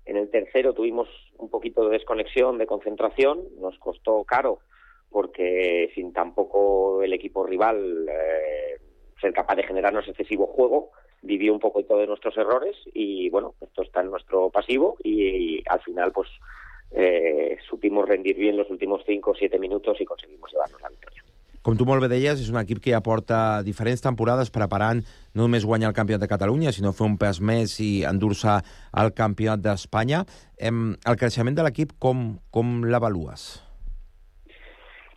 En el tercero tuvimos un poquito de desconexión, de concentración. Nos costó caro porque sin tampoco el equipo rival ser capaz de generarnos excesivo juego, vivió un poquito de nuestros errores y bueno, esto está en nuestro pasivo y al final pues supimos rendir bien los últimos 5 o 7 minutos i conseguimos llevarnos la victòria. Com tu molt bé deies, és un equip que ja porta diferents temporades preparant no només guanyar el Campionat de Catalunya, sinó fer un pas més i endur-se al Campionat d'Espanya. El creixement de l'equip, com l'avalues?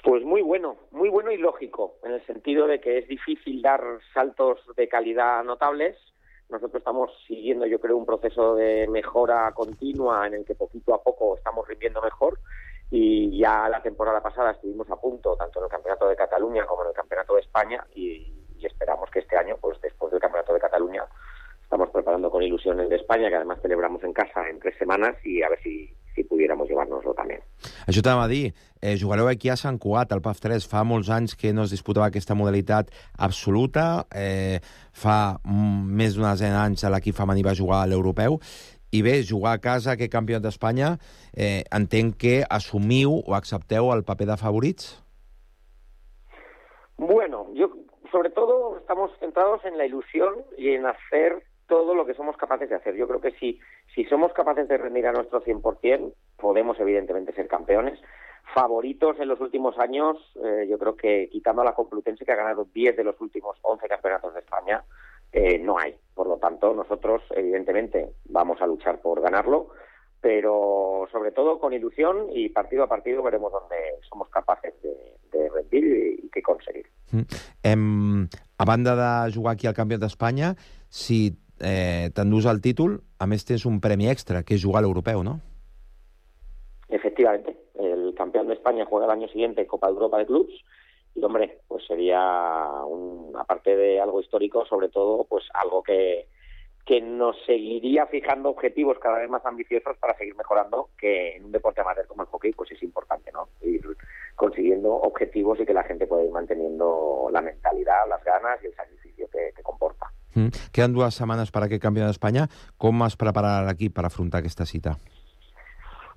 Pues muy bueno y lógico, en el sentido de que es difícil dar saltos de calidad notables. Nosotros estamos siguiendo, yo creo, un proceso de mejora continua en el que poquito a poco estamos rindiendo mejor y ya la temporada pasada estuvimos a punto, tanto en el Campeonato de Cataluña como en el Campeonato de España y esperamos que este año, pues después del Campeonato de Cataluña, estamos preparando con ilusión el de España, que además celebramos en casa en 3 semanas y a ver si pudiéramos llevárnoslo també. Això t'anava a dir, jugareu aquí a Sant Cugat, al PAF 3, fa molts anys que no es disputava aquesta modalitat absoluta, fa més d'una desena d'anys l'equip femení va jugar a l'europeu, i bé, jugar a casa aquest campionat d'Espanya, entenc que assumiu o accepteu el paper de favorits? Bueno, sobre todo estamos centrados en la ilusión y en hacer todo lo que somos capaces de hacer. Yo creo que si somos capaces de rendir a nuestro 100%, podemos evidentemente ser campeones. Favoritos en los últimos años, yo creo que quitando a la Complutense, que ha ganado 10 de los últimos 11 campeonatos de España, no hay. Por lo tanto, nosotros evidentemente vamos a luchar por ganarlo, pero sobre todo con ilusión y partido a partido veremos dónde somos capaces de rendir y qué conseguir. A banda de jugar aquí al Campionat d'Espanya, si t'endús el títol, a més tens un premi extra, que és jugar a l'europeu, ¿no? Efectivamente. El campeón de España juega el año siguiente Copa de Europa de Clubs y, hombre, pues sería, aparte de algo histórico, sobre todo, pues algo que nos seguiría fijando objetivos cada vez más ambiciosos para seguir mejorando, que en un deporte amateur como el hockey, pues es importante, ¿no? Ir consiguiendo objetivos y que la gente pueda ir manteniendo la mentalidad, las ganas y el sacrificio que comporta. Queden 2 setmanes per aquest Campionat d'Espanya. Com es prepara l'equip per afrontar aquesta cita?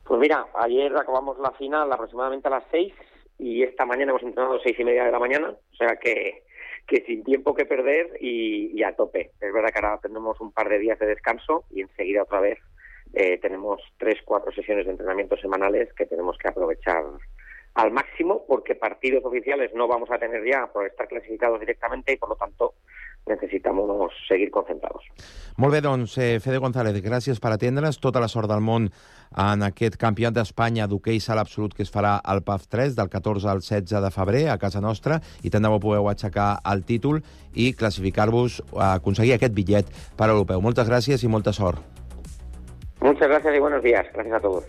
Pues mira, ayer acabamos la final aproximadamente a las 6 y esta mañana hemos entrenado a 6:30 de la mañana, o sea que sin tiempo que perder y a tope. Es verdad que ahora tendremos un par de días de descanso y enseguida otra vez tenemos 3-4 sesiones de entrenamiento semanales que tenemos que aprovechar al máximo, porque partidos oficiales no vamos a tener ya por estar clasificados directamente y por lo tanto necessitamos seguir concentrados. Molt bé, doncs, Fede González, gràcies per atendre's. Tota la sort del món en aquest campionat d'Espanya d'hoquei sala absolut que es farà al PAF 3 del 14 al 16 de febrer a casa nostra, i tant de bo podeu aixecar el títol i classificar-vos a aconseguir aquest bitllet per a l'europeu. Moltes gràcies i molta sort. Muchas gracias y buenos días. Gracias a todos.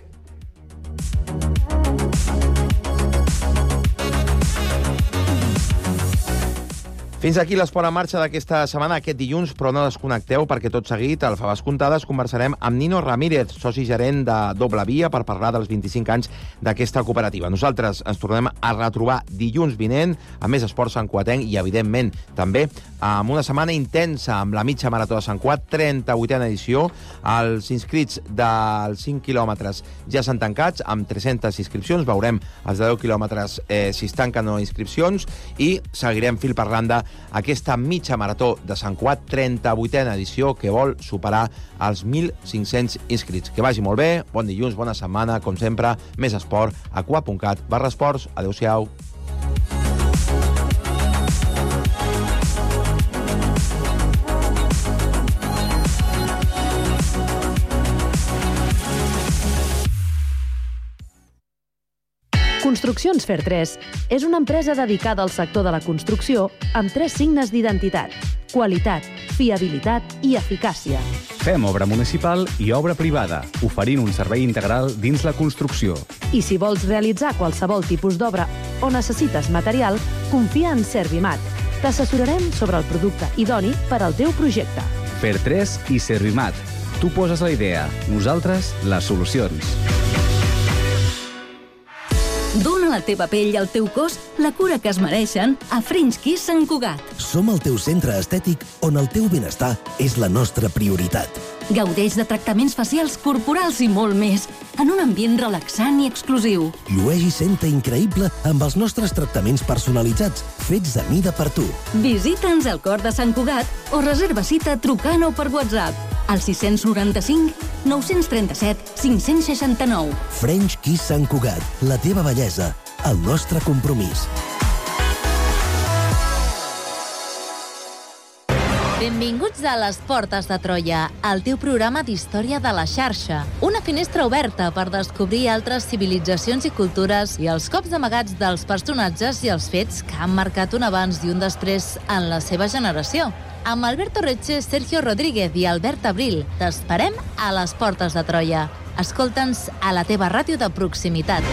Fins aquí l'Esport en marxa d'aquesta setmana, aquest dilluns, però no desconnecteu perquè tot seguit, al Faves Comptades, conversarem amb Nino Ramírez, soci gerent de Doble Via, per parlar dels 25 anys d'aquesta cooperativa. Nosaltres ens tornem a retrobar dilluns vinent amb més esports santcugatenc i, evidentment, també amb una setmana intensa amb la mitja marató de Sant Cugat, 38a edició. Els inscrits dels 5 quilòmetres ja s'han tancats amb 300 inscripcions. Veurem els de 10 quilòmetres si es tanquen o no inscripcions i seguirem fil per randa aquesta mitja marató de Sant Cugat, 38a edició, que vol superar els 1.500 inscrits. Que vagi molt bé, bon dilluns, bona setmana, com sempre, més esport a cugat.cat/esports. Adéu-siau. Construccions Fer3 és una empresa dedicada al sector de la construcció amb 3 signes d'identitat: qualitat, fiabilitat i eficàcia. Fem obra municipal i obra privada, oferint un servei integral dins la construcció. I si vols realitzar qualsevol tipus d'obra o necessites material, confia en Servimat. T'assessorarem sobre el producte idoni per al teu projecte. Fer3 i Servimat. Tu poses la idea, nosaltres les solucions. Dóna a la teva pell i al teu cos la cura que es mereixen a French Kiss Sant Cugat. Som el teu centre estètic on el teu benestar és la nostra prioritat. Gaudeix de tractaments facials, corporals i molt més, en un ambient relaxant i exclusiu. Llueix i senta increïble amb els nostres tractaments personalitzats, fets a mida per tu. Visita'ns al cor de Sant Cugat o reserva cita trucant o per WhatsApp al 695 937 569. French Kiss Sant Cugat, la teva bellesa, el nostre compromís. Benvinguts a Les Portes de Troia, el teu programa d'història de la xarxa. Una finestra oberta per descobrir altres civilitzacions i cultures i els cops amagats dels personatges i els fets que han marcat un abans i un després en la seva generació. Amb Alberto Reche, Sergio Rodríguez i Albert Abril, t'esperem a Les Portes de Troia. Escolta'ns a la teva ràdio de proximitat.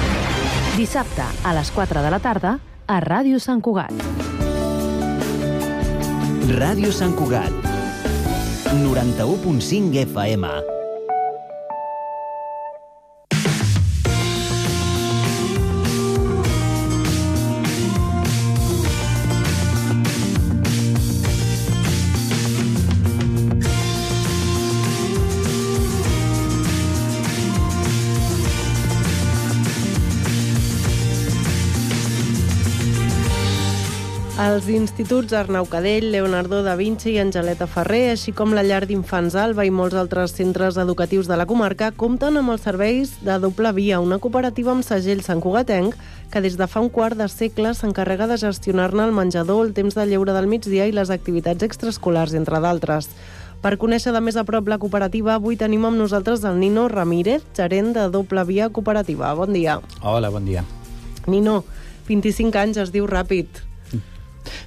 Dissabte, a les 4 de la tarda, a Ràdio Sant Cugat. Ràdio Sant Cugat, 91.5 FM. Els instituts Arnau Cadell, Leonardo da Vinci i Angeleta Ferrer, així com la llar d'infants Alba i molts altres centres educatius de la comarca, compten amb els serveis de Doble Via, una cooperativa amb segell santcugatenc que des de fa un quart de segle s'encarrega de gestionar-ne el menjador, el temps de lleure del migdia i les activitats extraescolars, entre d'altres. Per conèixer de més a prop la cooperativa, avui tenim amb nosaltres el Nino Ramírez, gerent de Doble Via Cooperativa. Bon dia. Hola, bon dia. Nino, 25 anys es diu ràpid.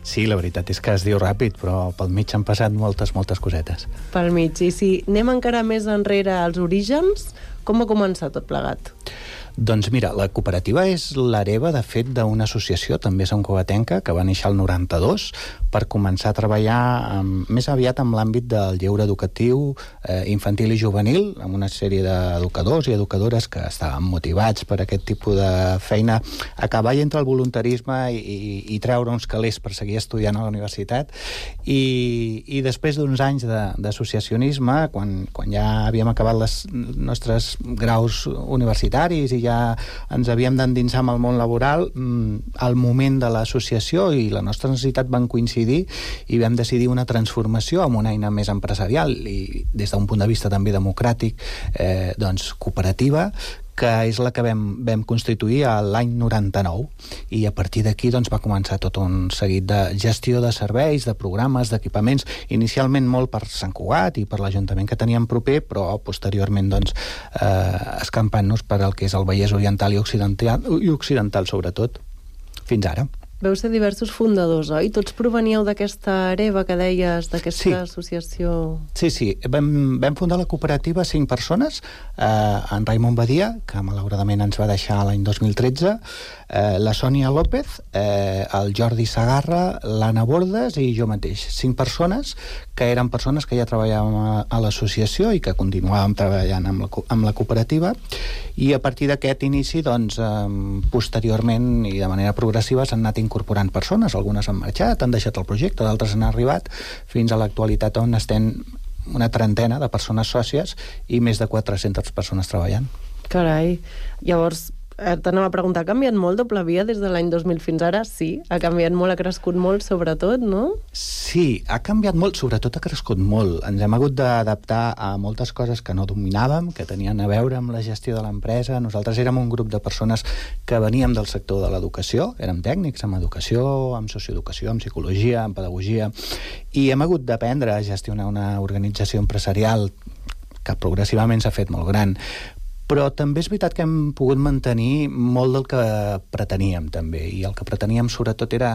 Sí, la veritat és que es diu ràpid, però pel mig han passat moltes cosetes. Pel mig, i si anem encara més enrere als orígens, com ha començat tot plegat? Doncs mira, la cooperativa és l'hereva, de fet, d'una associació, també santcugatenca, que va néixer el 92, per començar a treballar més aviat amb l'àmbit del lleure educatiu infantil i juvenil, amb una sèrie d'educadors i educadores que estaven motivats per aquest tipus de feina, a cavall entre el voluntarisme i treure uns calés per seguir estudiant a la universitat. I després d'uns anys d'associacionisme, quan ja havíem acabat els nostres graus universitaris i ja ens havíem d'endinsar amb el món laboral, al moment de l'associació i la nostra necessitat van coincidir i vam decidir una transformació amb una eina més empresarial i des d'un punt de vista també democràtic, doncs cooperativa, que és la que vam constituir l'any 99, i a partir d'aquí doncs, va començar tot un seguit de gestió de serveis, de programes, d'equipaments, inicialment molt per Sant Cugat i per l'Ajuntament que teníem proper, però posteriorment doncs, escampant-nos per el que és el Vallès Oriental i Occidental sobretot, fins ara. Veu ser diversos fundadors, oi? Tots proveníeu d'aquesta hereva que deies, d'aquesta associació... Sí. Vam fundar la cooperativa 5 persones, en Raimon Badia, que malauradament ens va deixar l'any 2013, la Sònia López, el Jordi Sagarra, l'Anna Bordes i jo mateix. 5 persones que eren persones que ja treballàvem a l'associació i que continuàvem treballant amb la cooperativa, i a partir d'aquest inici, doncs, posteriorment i de manera progressiva s'han anat incorporant persones, algunes han marxat, han deixat el projecte, d'altres han arribat, fins a l'actualitat on estem una trentena de persones sòcies i més de 400 persones treballant. Carai, llavors t'anava a preguntar, ha canviat molt Doble Via des de l'any 2000 fins ara? Sí, ha canviat molt, ha crescut molt, sobretot, no? Sí, ha canviat molt, sobretot ha crescut molt. Ens hem hagut d'adaptar a moltes coses que no dominàvem, que tenien a veure amb la gestió de l'empresa. Nosaltres érem un grup de persones que veníem del sector de l'educació, érem tècnics en educació, en socioeducació, en psicologia, en pedagogia, i hem hagut d'aprendre a gestionar una organització empresarial que progressivament s'ha fet molt gran. Però també és veritat que hem pogut mantenir molt del que preteníem, també, i el que preteníem sobretot era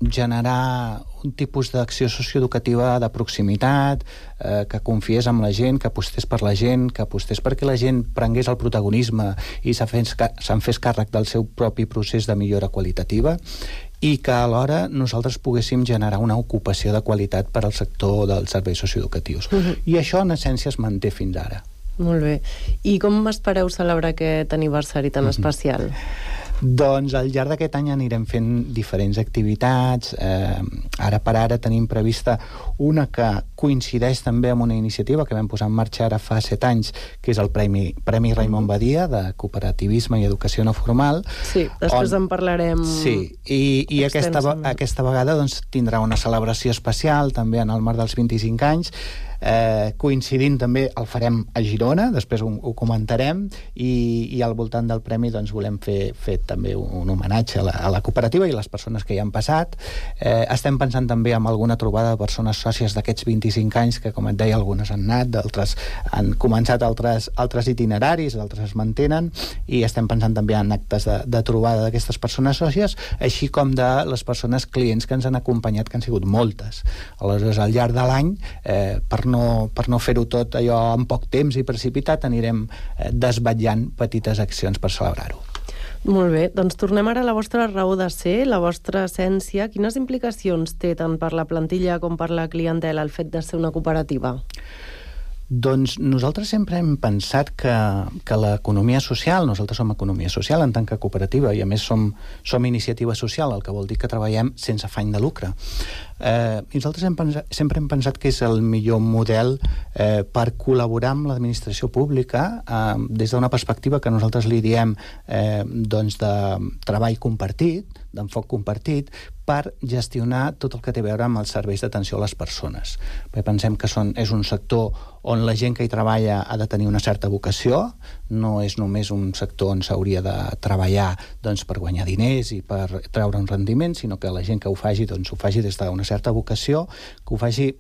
generar un tipus d'acció socioeducativa de proximitat, que confiés en la gent, que apostés per la gent, que apostés perquè la gent prengués el protagonisme i se'n fes càrrec del seu propi procés de millora qualitativa, i que alhora nosaltres poguéssim generar una ocupació de qualitat per al sector dels serveis socioeducatius. I això, en essència, es manté fins ara. Molt bé. I com espereu celebrar aquest aniversari tan especial? Doncs al llarg d'aquest any anirem fent diferents activitats. Ara per ara tenim prevista una que coincideix també amb una iniciativa que vam posar en marxa ara fa 7 anys, que és el Premi Raimon Badia de Cooperativisme i Educació No Formal. Sí, després en parlarem. Sí, i aquesta vegada doncs, tindrà una celebració especial també en el marc dels 25 anys, coincidint també, el farem a Girona, després ho comentarem, i al voltant del premi doncs, volem fer també un homenatge a la cooperativa i les persones que hi han passat. Estem pensant també en alguna trobada de persones sòcies d'aquests 25 anys, que com et deia, algunes han anat, d'altres han començat altres itineraris, d'altres es mantenen, i estem pensant també en actes de trobada d'aquestes persones sòcies, així com de les persones clients que ens han acompanyat, que han sigut moltes. Aleshores, al llarg de l'any, per no fer-ho tot allò en poc temps i precipitat, anirem desvetllant petites accions per celebrar-ho. Molt bé, doncs tornem ara a la vostra raó de ser, la vostra essència. Quines implicacions té tant per la plantilla com per la clientela el fet de ser una cooperativa? Doncs nosaltres sempre hem pensat que l'economia social, nosaltres som economia social en tant que cooperativa, i a més som iniciativa social, el que vol dir que treballem sense afany de lucre. I nosaltres sempre hem pensat que és el millor model per col·laborar amb l'administració pública des d'una perspectiva que nosaltres li diem doncs de treball compartit, d'enfoc compartit, per gestionar tot el que té a veure amb els serveis d'atenció a les persones. Perquè pensem que és un sector on la gent que hi treballa ha de tenir una certa vocació, no és només un sector on s'hauria de treballar doncs, per guanyar diners i per treure un rendiment, sinó que la gent que ho faci, doncs, ho faci des d'una certa vocació, que ho faci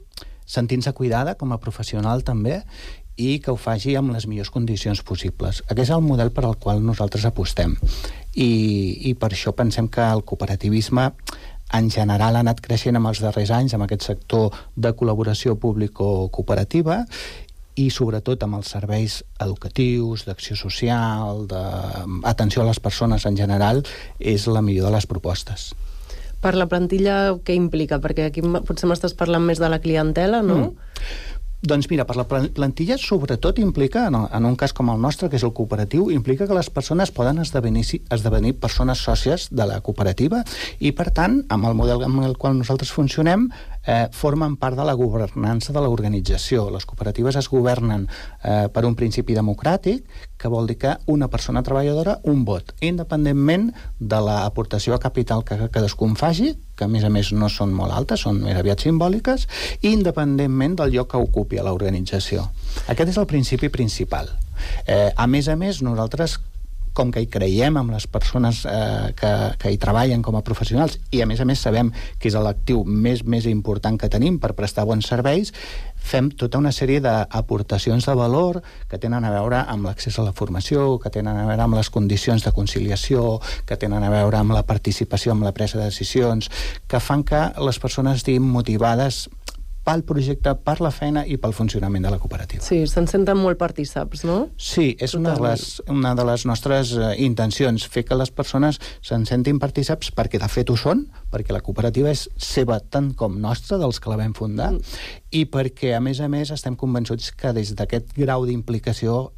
sentint-se cuidada com a professional també, i que ho faci amb les millors condicions possibles. Aquest és el model per al qual nosaltres apostem. I per això pensem que el cooperativisme en general ha anat creixent en els darrers anys amb aquest sector de col·laboració público-cooperativa, i sobretot amb els serveis educatius, d'acció social, d'atenció a les persones en general, és la millor de les propostes. Per la plantilla, què implica? Perquè aquí potser m'estàs parlant més de la clientela, no? Doncs mira, per la plantilla sobretot implica, en un cas com el nostre, que és el cooperatiu, implica que les persones poden esdevenir persones sòcies de la cooperativa i, per tant, amb el model amb el qual nosaltres funcionem, formen part de la governança de l'organització. Les cooperatives es governen per un principi democràtic, que vol dir que una persona treballadora, un vot, independentment de l'aportació a capital que cadascun faci, que a més no són molt altes, són més aviat simbòliques, i independentment del lloc que ocupi a l'organització. Aquest és el principi principal. A més, nosaltres, com que hi creiem amb les persones que hi treballen com a professionals i a més sabem que és l'actiu més important que tenim per prestar bons serveis, fem tota una sèrie d'aportacions de valor que tenen a veure amb l'accés a la formació, que tenen a veure amb les condicions de conciliació, que tenen a veure amb la participació, amb la presa de decisions, que fan que les persones estiguin motivades pel projecte, per la feina i pel funcionament de la cooperativa. Sí, se'n senten molt partíceps, no? Sí, és una de les nostres intencions, fer que les persones se'n sentin partíceps perquè de fet ho són, perquè la cooperativa és seva tant com nostra, dels que la vam fundar, i perquè a més estem convençuts que des d'aquest grau d'implicació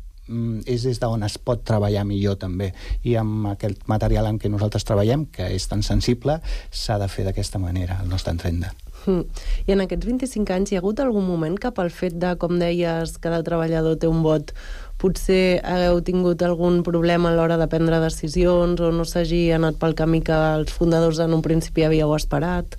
és des d'on es pot treballar millor també, i amb aquest material en què nosaltres treballem, que és tan sensible, s'ha de fer d'aquesta manera, al nostre entendre. I en aquests 25 anys hi ha hagut algun moment que pel fet de, com deies, cada treballador té un vot, potser hagueu tingut algun problema a l'hora de prendre decisions o no s'hagi anat pel camí que els fundadors en un principi havíeu esperat?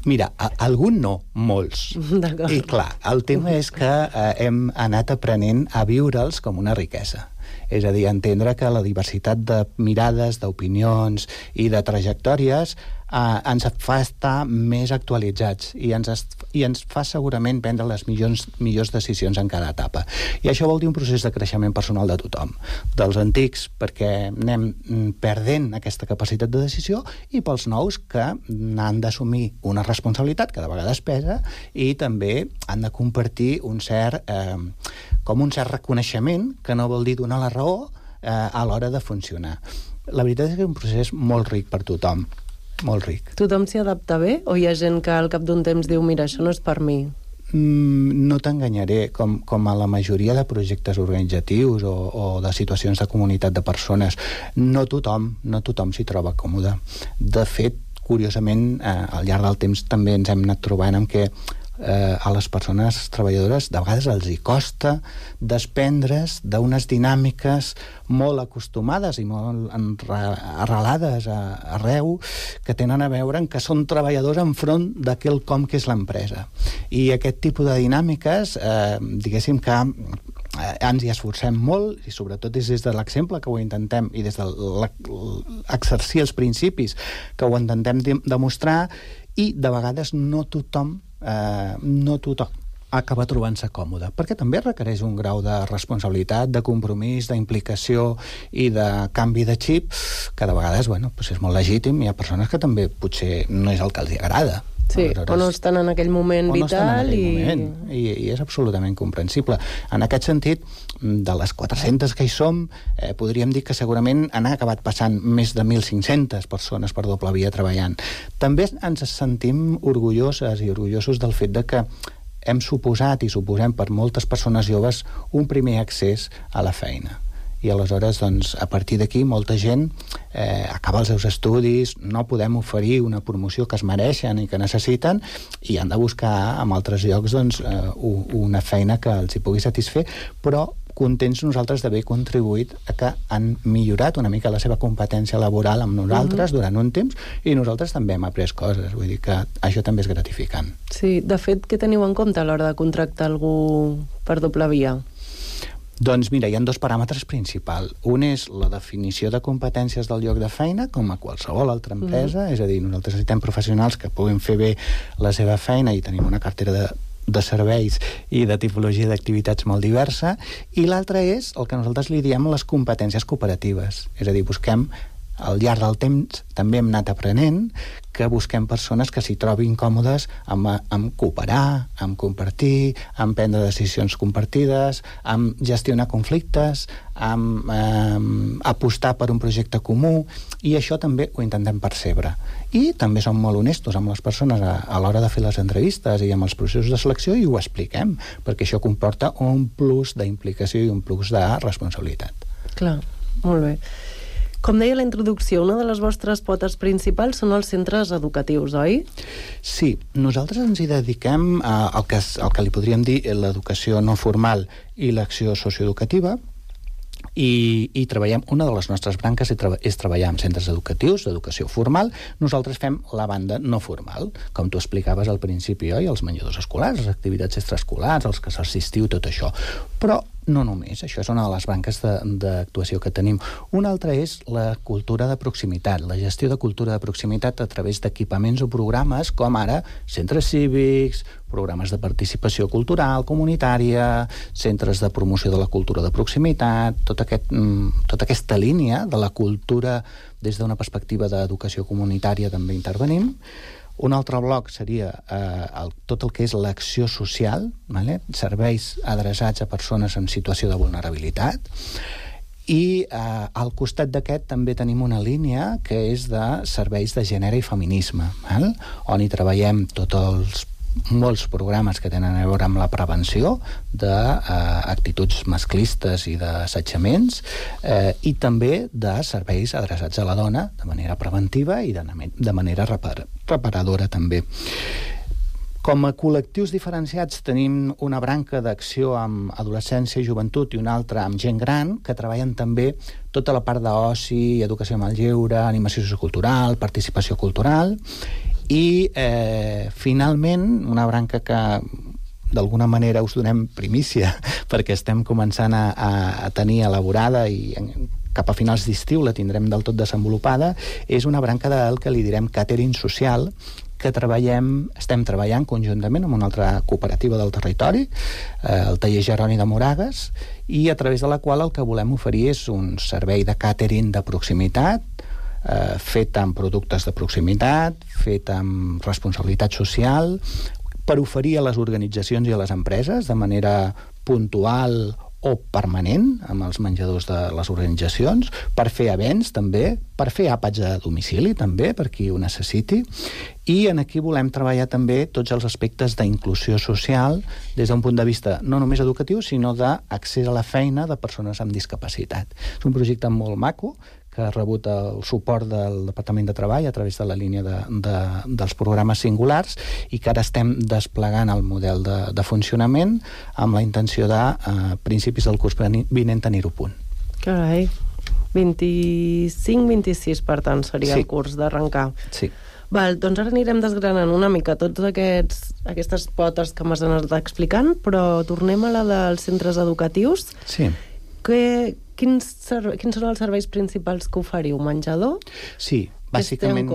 Mira, algun no, molts. I clar, el tema és que hem anat aprenent a viure'ls com una riquesa. És a dir, entendre que la diversitat de mirades, d'opinions i de trajectòries ens fa estar més actualitzats i ens fa segurament prendre les millors decisions en cada etapa. I això vol dir un procés de creixement personal de tothom, dels antics, perquè anem perdent aquesta capacitat de decisió, i pels nous, que han d'assumir una responsabilitat que de vegades pesa i també han de compartir un cert reconeixement, que no vol dir donar la raó a l'hora de funcionar. La veritat és que és un procés molt ric per tothom, molt ric. Tothom s'hi adapta bé? O hi ha gent que al cap d'un temps diu, mira, això no és per mi? No t'enganyaré, com a la majoria de projectes organitzatius o de situacions de comunitat de persones, no tothom s'hi troba còmode. De fet, curiosament, al llarg del temps també ens hem anat trobant amb que a les persones treballadores de vegades els hi costa desprendre's d'unes dinàmiques molt acostumades i molt arrelades arreu, que tenen a veure en que són treballadors enfront d'aquell com que és l'empresa. I aquest tipus de dinàmiques, diguéssim que ens hi esforcem molt, i sobretot és des de l'exemple que ho intentem i des de l'exercir els principis que ho intentem demostrar, i de vegades no tothom acaba trobant-se còmode, perquè també requereix un grau de responsabilitat, de compromís, d'implicació i de canvi de xip, que de vegades és molt legítim. Hi ha persones que també potser no és el que els agrada. Sí, o no estan en aquell moment vital i és absolutament comprensible. En aquest sentit, de les 400 que hi som, podríem dir que segurament han acabat passant més de 1.500 persones per doble via treballant. També ens sentim orgulloses i orgullosos del fet de que hem suposat i suposem per moltes persones joves un primer accés a la feina. I aleshores, a partir d'aquí, molta gent acaba els seus estudis, no podem oferir una promoció que es mereixen i que necessiten, i han de buscar en altres llocs una feina que els hi pugui satisfer, però contents nosaltres d'haver contribuït a que han millorat una mica la seva competència laboral amb nosaltres durant un temps, i nosaltres també hem après coses, vull dir que això també és gratificant. Sí, de fet, què teniu en compte a l'hora de contractar algú per doble via? Doncs mira, hi ha dos paràmetres principals. Un és la definició de competències del lloc de feina, com a qualsevol altra empresa, és a dir, nosaltres necessitem professionals que puguin fer bé la seva feina i tenim una cartera de serveis i de tipologia d'activitats molt diversa, i l'altre és el que nosaltres li diem les competències cooperatives, és a dir, busquem al llarg del temps, també hem anat aprenent que busquem persones que s'hi trobin còmodes amb cooperar, amb compartir, amb prendre decisions compartides, amb gestionar conflictes, amb apostar per un projecte comú, i això també ho intentem percebre. I també som molt honestos amb les persones a l'hora de fer les entrevistes i amb els processos de selecció, i ho expliquem, perquè això comporta un plus d'implicació i un plus de responsabilitat. Clar, molt bé. Com deia la introducció, una de les vostres potes principals són els centres educatius, oi? Sí, nosaltres ens hi dediquem al que li podríem dir l'educació no formal i l'acció socioeducativa, i treballem, una de les nostres branques és treballar amb centres educatius, d'educació formal. Nosaltres fem la banda no formal, com tu explicaves al principi, oi? Els menjadors escolars, les activitats extraescolars, els casals d'estiu, tot això. Però no només, això és una de les branques d'actuació que tenim. Una altra és la cultura de proximitat, la gestió de cultura de proximitat a través d'equipaments o programes com ara centres cívics, programes de participació cultural, comunitària, centres de promoció de la cultura de proximitat, tota aquesta línia de la cultura des d'una perspectiva d'educació comunitària també intervenim. Un altre bloc seria tot el que és l'acció social, serveis adreçats a persones en situació de vulnerabilitat, i al costat d'aquest també tenim una línia que és de serveis de gènere i feminisme, on hi treballem molts programes que tenen a veure amb la prevenció d'actituds masclistes i d'assetjaments, i també de serveis adreçats a la dona de manera preventiva i de manera reparadora també. Com a col·lectius diferenciats tenim una branca d'acció amb adolescència i joventut i una altra amb gent gran, que treballen també tota la part d'oci, educació amb el lleure, animació sociocultural, participació cultural, i finalment una branca que d'alguna manera us donem primícia perquè estem començant a tenir elaborada i cap a finals d'estiu la tindrem del tot desenvolupada, és una branca del que li direm catering social, que estem treballant conjuntament amb una altra cooperativa del territori, el taller Jeroni de Moragues, i a través de la qual el que volem oferir és un servei de catering de proximitat, fet amb productes de proximitat, fet amb responsabilitat social, per oferir a les organitzacions i a les empreses de manera puntual o permanent amb els menjadors de les organitzacions, per fer events també, per fer àpats a domicili també, per qui ho necessiti, i aquí volem treballar també tots els aspectes d'inclusió social des d'un punt de vista no només educatiu, sinó d'accés a la feina de persones amb discapacitat. És un projecte molt maco, que ha rebut el suport del Departament de Treball a través de la línia dels programes singulars i que ara estem desplegant el model de funcionament amb la intenció de, a principis del curs vinent, tenir-ho a punt. Carai, 25-26, per tant, seria el curs d'arrencar. Sí. Val, doncs ara anirem desgranant una mica tots aquestes potes que m'has anat explicant, però tornem a la dels centres educatius. Sí. Quins són els serveis principals que oferiu? Menjador? Sí, bàsicament,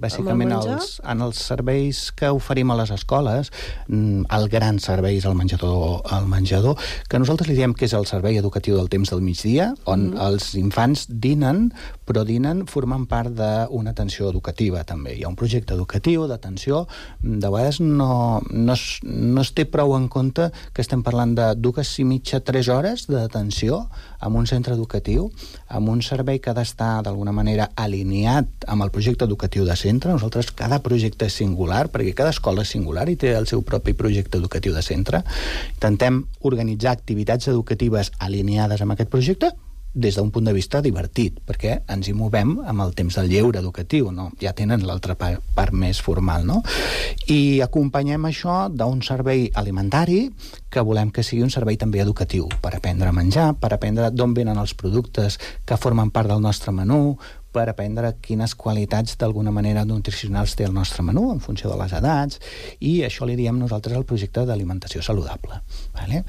bàsicament en els serveis que oferim a les escoles, el gran servei és el menjador, que nosaltres li diem que és el servei educatiu del temps del migdia, on els infants dinen, però dinen formant part d'una atenció educativa també. Hi ha un projecte educatiu d'atenció, de vegades no es té prou en compte que estem parlant de 2,5-3 hores d'atenció en un centre educatiu, amb un servei que ha d'estar d'alguna manera alineat amb el projecte educatiu de centre. Nosaltres, cada projecte és singular, perquè cada escola és singular i té el seu propi projecte educatiu de centre. Intentem organitzar activitats educatives alineades amb aquest projecte des d'un punt de vista divertit, perquè ens hi movem amb el temps del lleure educatiu, no? Ja tenen l'altra part més formal, no? I acompanyem això d'un servei alimentari que volem que sigui un servei també educatiu, per aprendre a menjar, per aprendre d'on venen els productes que formen part del nostre menú, per aprendre quines qualitats d'alguna manera nutricionals té el nostre menú en funció de les edats, i això li diem nosaltres al projecte d'alimentació saludable. Vale?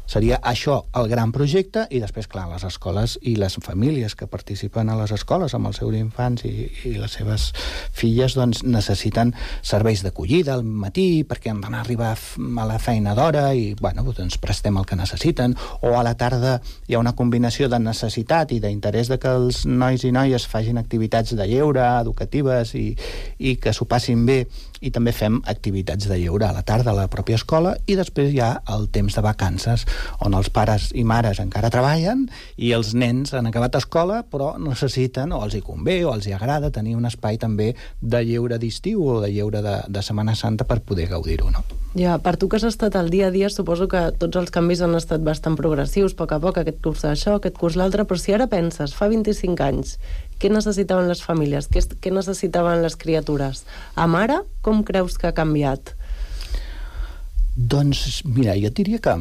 Seria això el gran projecte, i després, clar, les escoles i les famílies que participen a les escoles amb els seus infants i les seves filles doncs necessiten serveis d'acollida al matí perquè han d'anar a arribar a la feina d'hora i doncs prestem el que necessiten, o a la tarda hi ha una combinació de necessitat i d'interès de que els nois i noies facin activitats de lleure educatives i que s'ho passin bé, i també fem activitats de lleure a la tarda a la pròpia escola, i després hi ha el temps de vacances on els pares i mares encara treballen i els nens han acabat escola però necessiten, o els hi convé o els hi agrada tenir un espai també de lleure d'estiu o de lleure de Setmana Santa per poder gaudir-ho, no? Ja, per tu que has estat al dia a dia, suposo que tots els canvis han estat bastant progressius, a poc a poc, aquest curs això, aquest curs l'altre, però si ara penses, fa 25 anys, què necessitaven les famílies? Què necessitaven les criatures? Amb ara, com creus que ha canviat? Doncs, mira, jo et diria que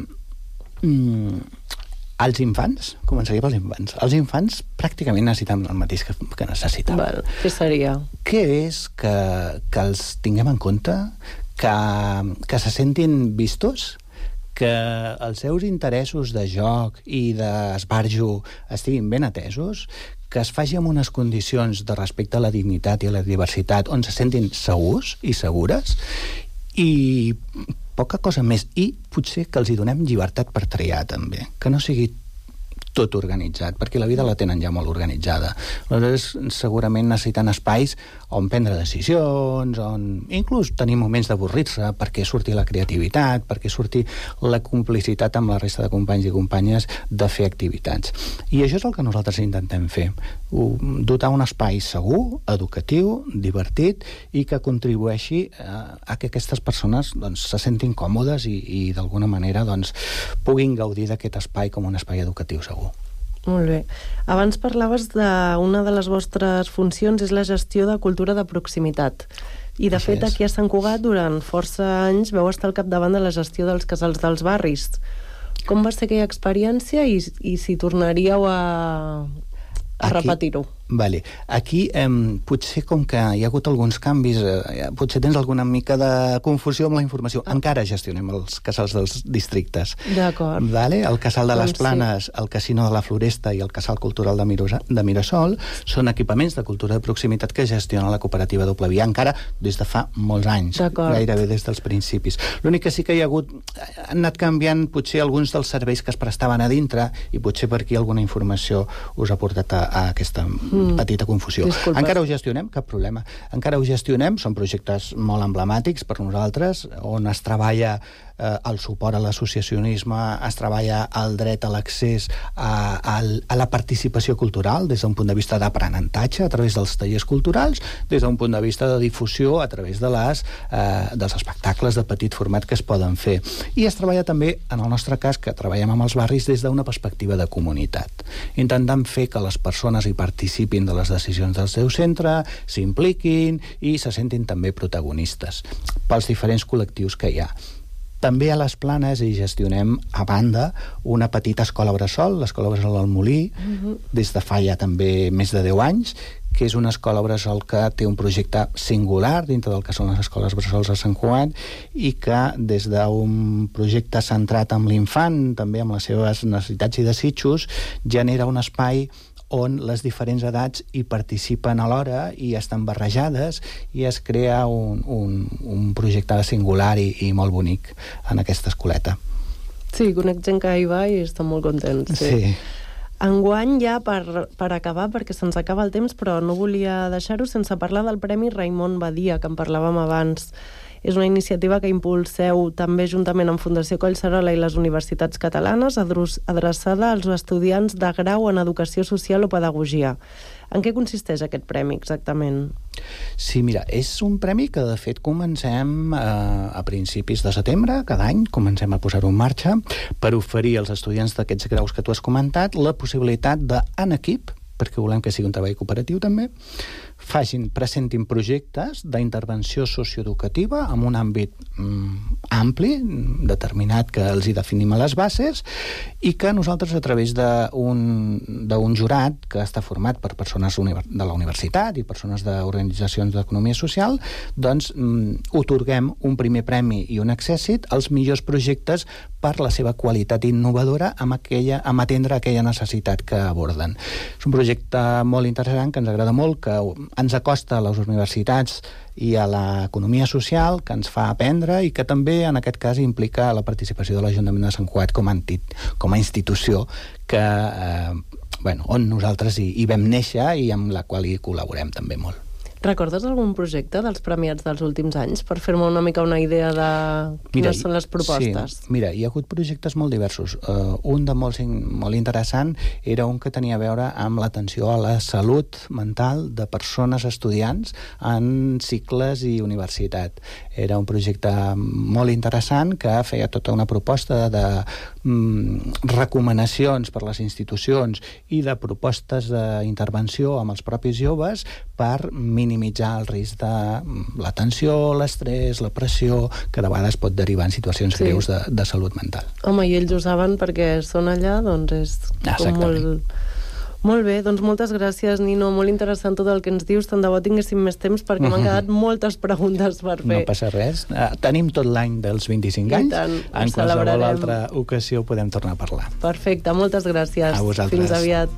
els infants, començaria pels infants. Els infants pràcticament necessiten el mateix que necessitaven. Què seria? Què és que els tinguem en compte, que se sentin vistos, que els seus interessos de joc i d'esbarjo estiguin ben atesos, que es faci amb unes condicions de respecte a la dignitat i a la diversitat on se sentin segurs i segures, i poca cosa més. I potser que els hi donem llibertat per triar, també. Que no sigui tot organitzat, perquè la vida la tenen ja molt organitzada. Aleshores, segurament necessiten espais on prendre decisions, on inclús tenir moments d'avorrir-se, perquè surti la creativitat, perquè surti la complicitat amb la resta de companys i companyes de fer activitats. I això és el que nosaltres intentem fer. Dotar un espai segur, educatiu, divertit, i que contribueixi a que aquestes persones se sentin còmodes i d'alguna manera puguin gaudir d'aquest espai com un espai educatiu segur. Molt bé. Abans parlaves d'una de les vostres funcions és la gestió de cultura de proximitat. I, de fet, aquí a Sant Cugat, durant força anys, vau estar al capdavant de la gestió dels casals dels barris. Com va ser aquella experiència i si tornaríeu a repetir-ho? Vale. Aquí, potser com que hi ha hagut alguns canvis, potser tens alguna mica de confusió amb la informació. Encara gestionem els casals dels districtes. D'acord. Vale? El casal de les Planes, el casino de la Floresta i el casal cultural de Mirasol són equipaments de cultura de proximitat que gestiona la cooperativa Doble Via, encara des de fa molts anys, gairebé des dels principis. L'únic que sí que hi ha hagut, han anat canviant potser alguns dels serveis que es prestaven a dintre, i potser per aquí alguna informació us ha portat a aquesta petita confusió. Disculpes. Encara ho gestionem, cap problema. Encara ho gestionem, són projectes molt emblemàtics per nosaltres, on es treballa el suport a l'associacionisme, es treballa el dret a l'accés a la participació cultural des d'un punt de vista d'aprenentatge a través dels tallers culturals, des d'un punt de vista de difusió a través de dels espectacles de petit format que es poden fer. I es treballa també, en el nostre cas, que treballem amb els barris des d'una perspectiva de comunitat, intentant fer que les persones hi participin de les decisions del seu centre, s'impliquin i se sentin també protagonistes pels diferents col·lectius que hi ha. També a les Planes hi gestionem, a banda, una petita escola bressol, l'escola bressol del Molí, des de fa ja també més de 10 anys, que és una escola bressol que té un projecte singular dintre del que són les escoles bressols a Sant Cugat, i que des d'un projecte centrat en l'infant, també amb les seves necessitats i desitjos, genera un espai on les diferents edats hi participen alhora i estan barrejades, i es crea un projecte singular i molt bonic en aquesta escoleta. Sí, conec gent que hi va i estan molt contents. Sí. Enguany, ja per acabar, perquè se'ns acaba el temps, però no volia deixar-ho sense parlar del Premi Raimon Badia, que en parlàvem abans. És una iniciativa que impulseu també juntament amb Fundació Collserola i les universitats catalanes, adreçada als estudiants de grau en Educació Social o Pedagogia. En què consisteix aquest premi exactament? Sí, mira, és un premi que de fet comencem a principis de setembre, cada any comencem a posar-ho en marxa per oferir als estudiants d'aquests graus que tu has comentat la possibilitat de, en equip, perquè volem que sigui un treball cooperatiu també, presentin projectes d'intervenció socioeducativa en un àmbit ampli, determinat, que els hi definim a les bases, i que nosaltres, a través d'un jurat que està format per persones de la universitat i persones d'organitzacions d'economia social, doncs otorguem un primer premi i un accèssit als millors projectes per la seva qualitat innovadora amb atendre aquella necessitat que aborden. És un projecte molt interessant, que ens agrada molt, que ens acosta a les universitats i a l'economia social, que ens fa aprendre i que també, en aquest cas, implica la participació de l'Ajuntament de Sant Cugat com a institució on nosaltres hi vam néixer i amb la qual hi col·laborem també molt. Recordes algun projecte dels premiats dels últims anys per fer-me una mica una idea de quines són les propostes? Sí, mira, hi ha hagut projectes molt diversos. Un de molt interessant era un que tenia a veure amb l'atenció a la salut mental de persones estudiants en cicles i universitat. Era un projecte molt interessant que feia tota una proposta de recomanacions per les institucions i de propostes d'intervenció amb els propis joves per minimitzar el risc de la tensió, l'estrès, la pressió, que de vegades pot derivar en situacions greus de salut mental. Home, i ells ho saben perquè són allà, doncs és com Molt bé, doncs moltes gràcies, Nino. Molt interessant tot el que ens dius. Tant de bo tinguéssim més temps perquè m'han quedat moltes preguntes per fer. No passa res. Tenim tot l'any dels 25 anys. En qualsevol altra ocasió podem tornar a parlar. Perfecte, moltes gràcies. A vosaltres. Fins aviat.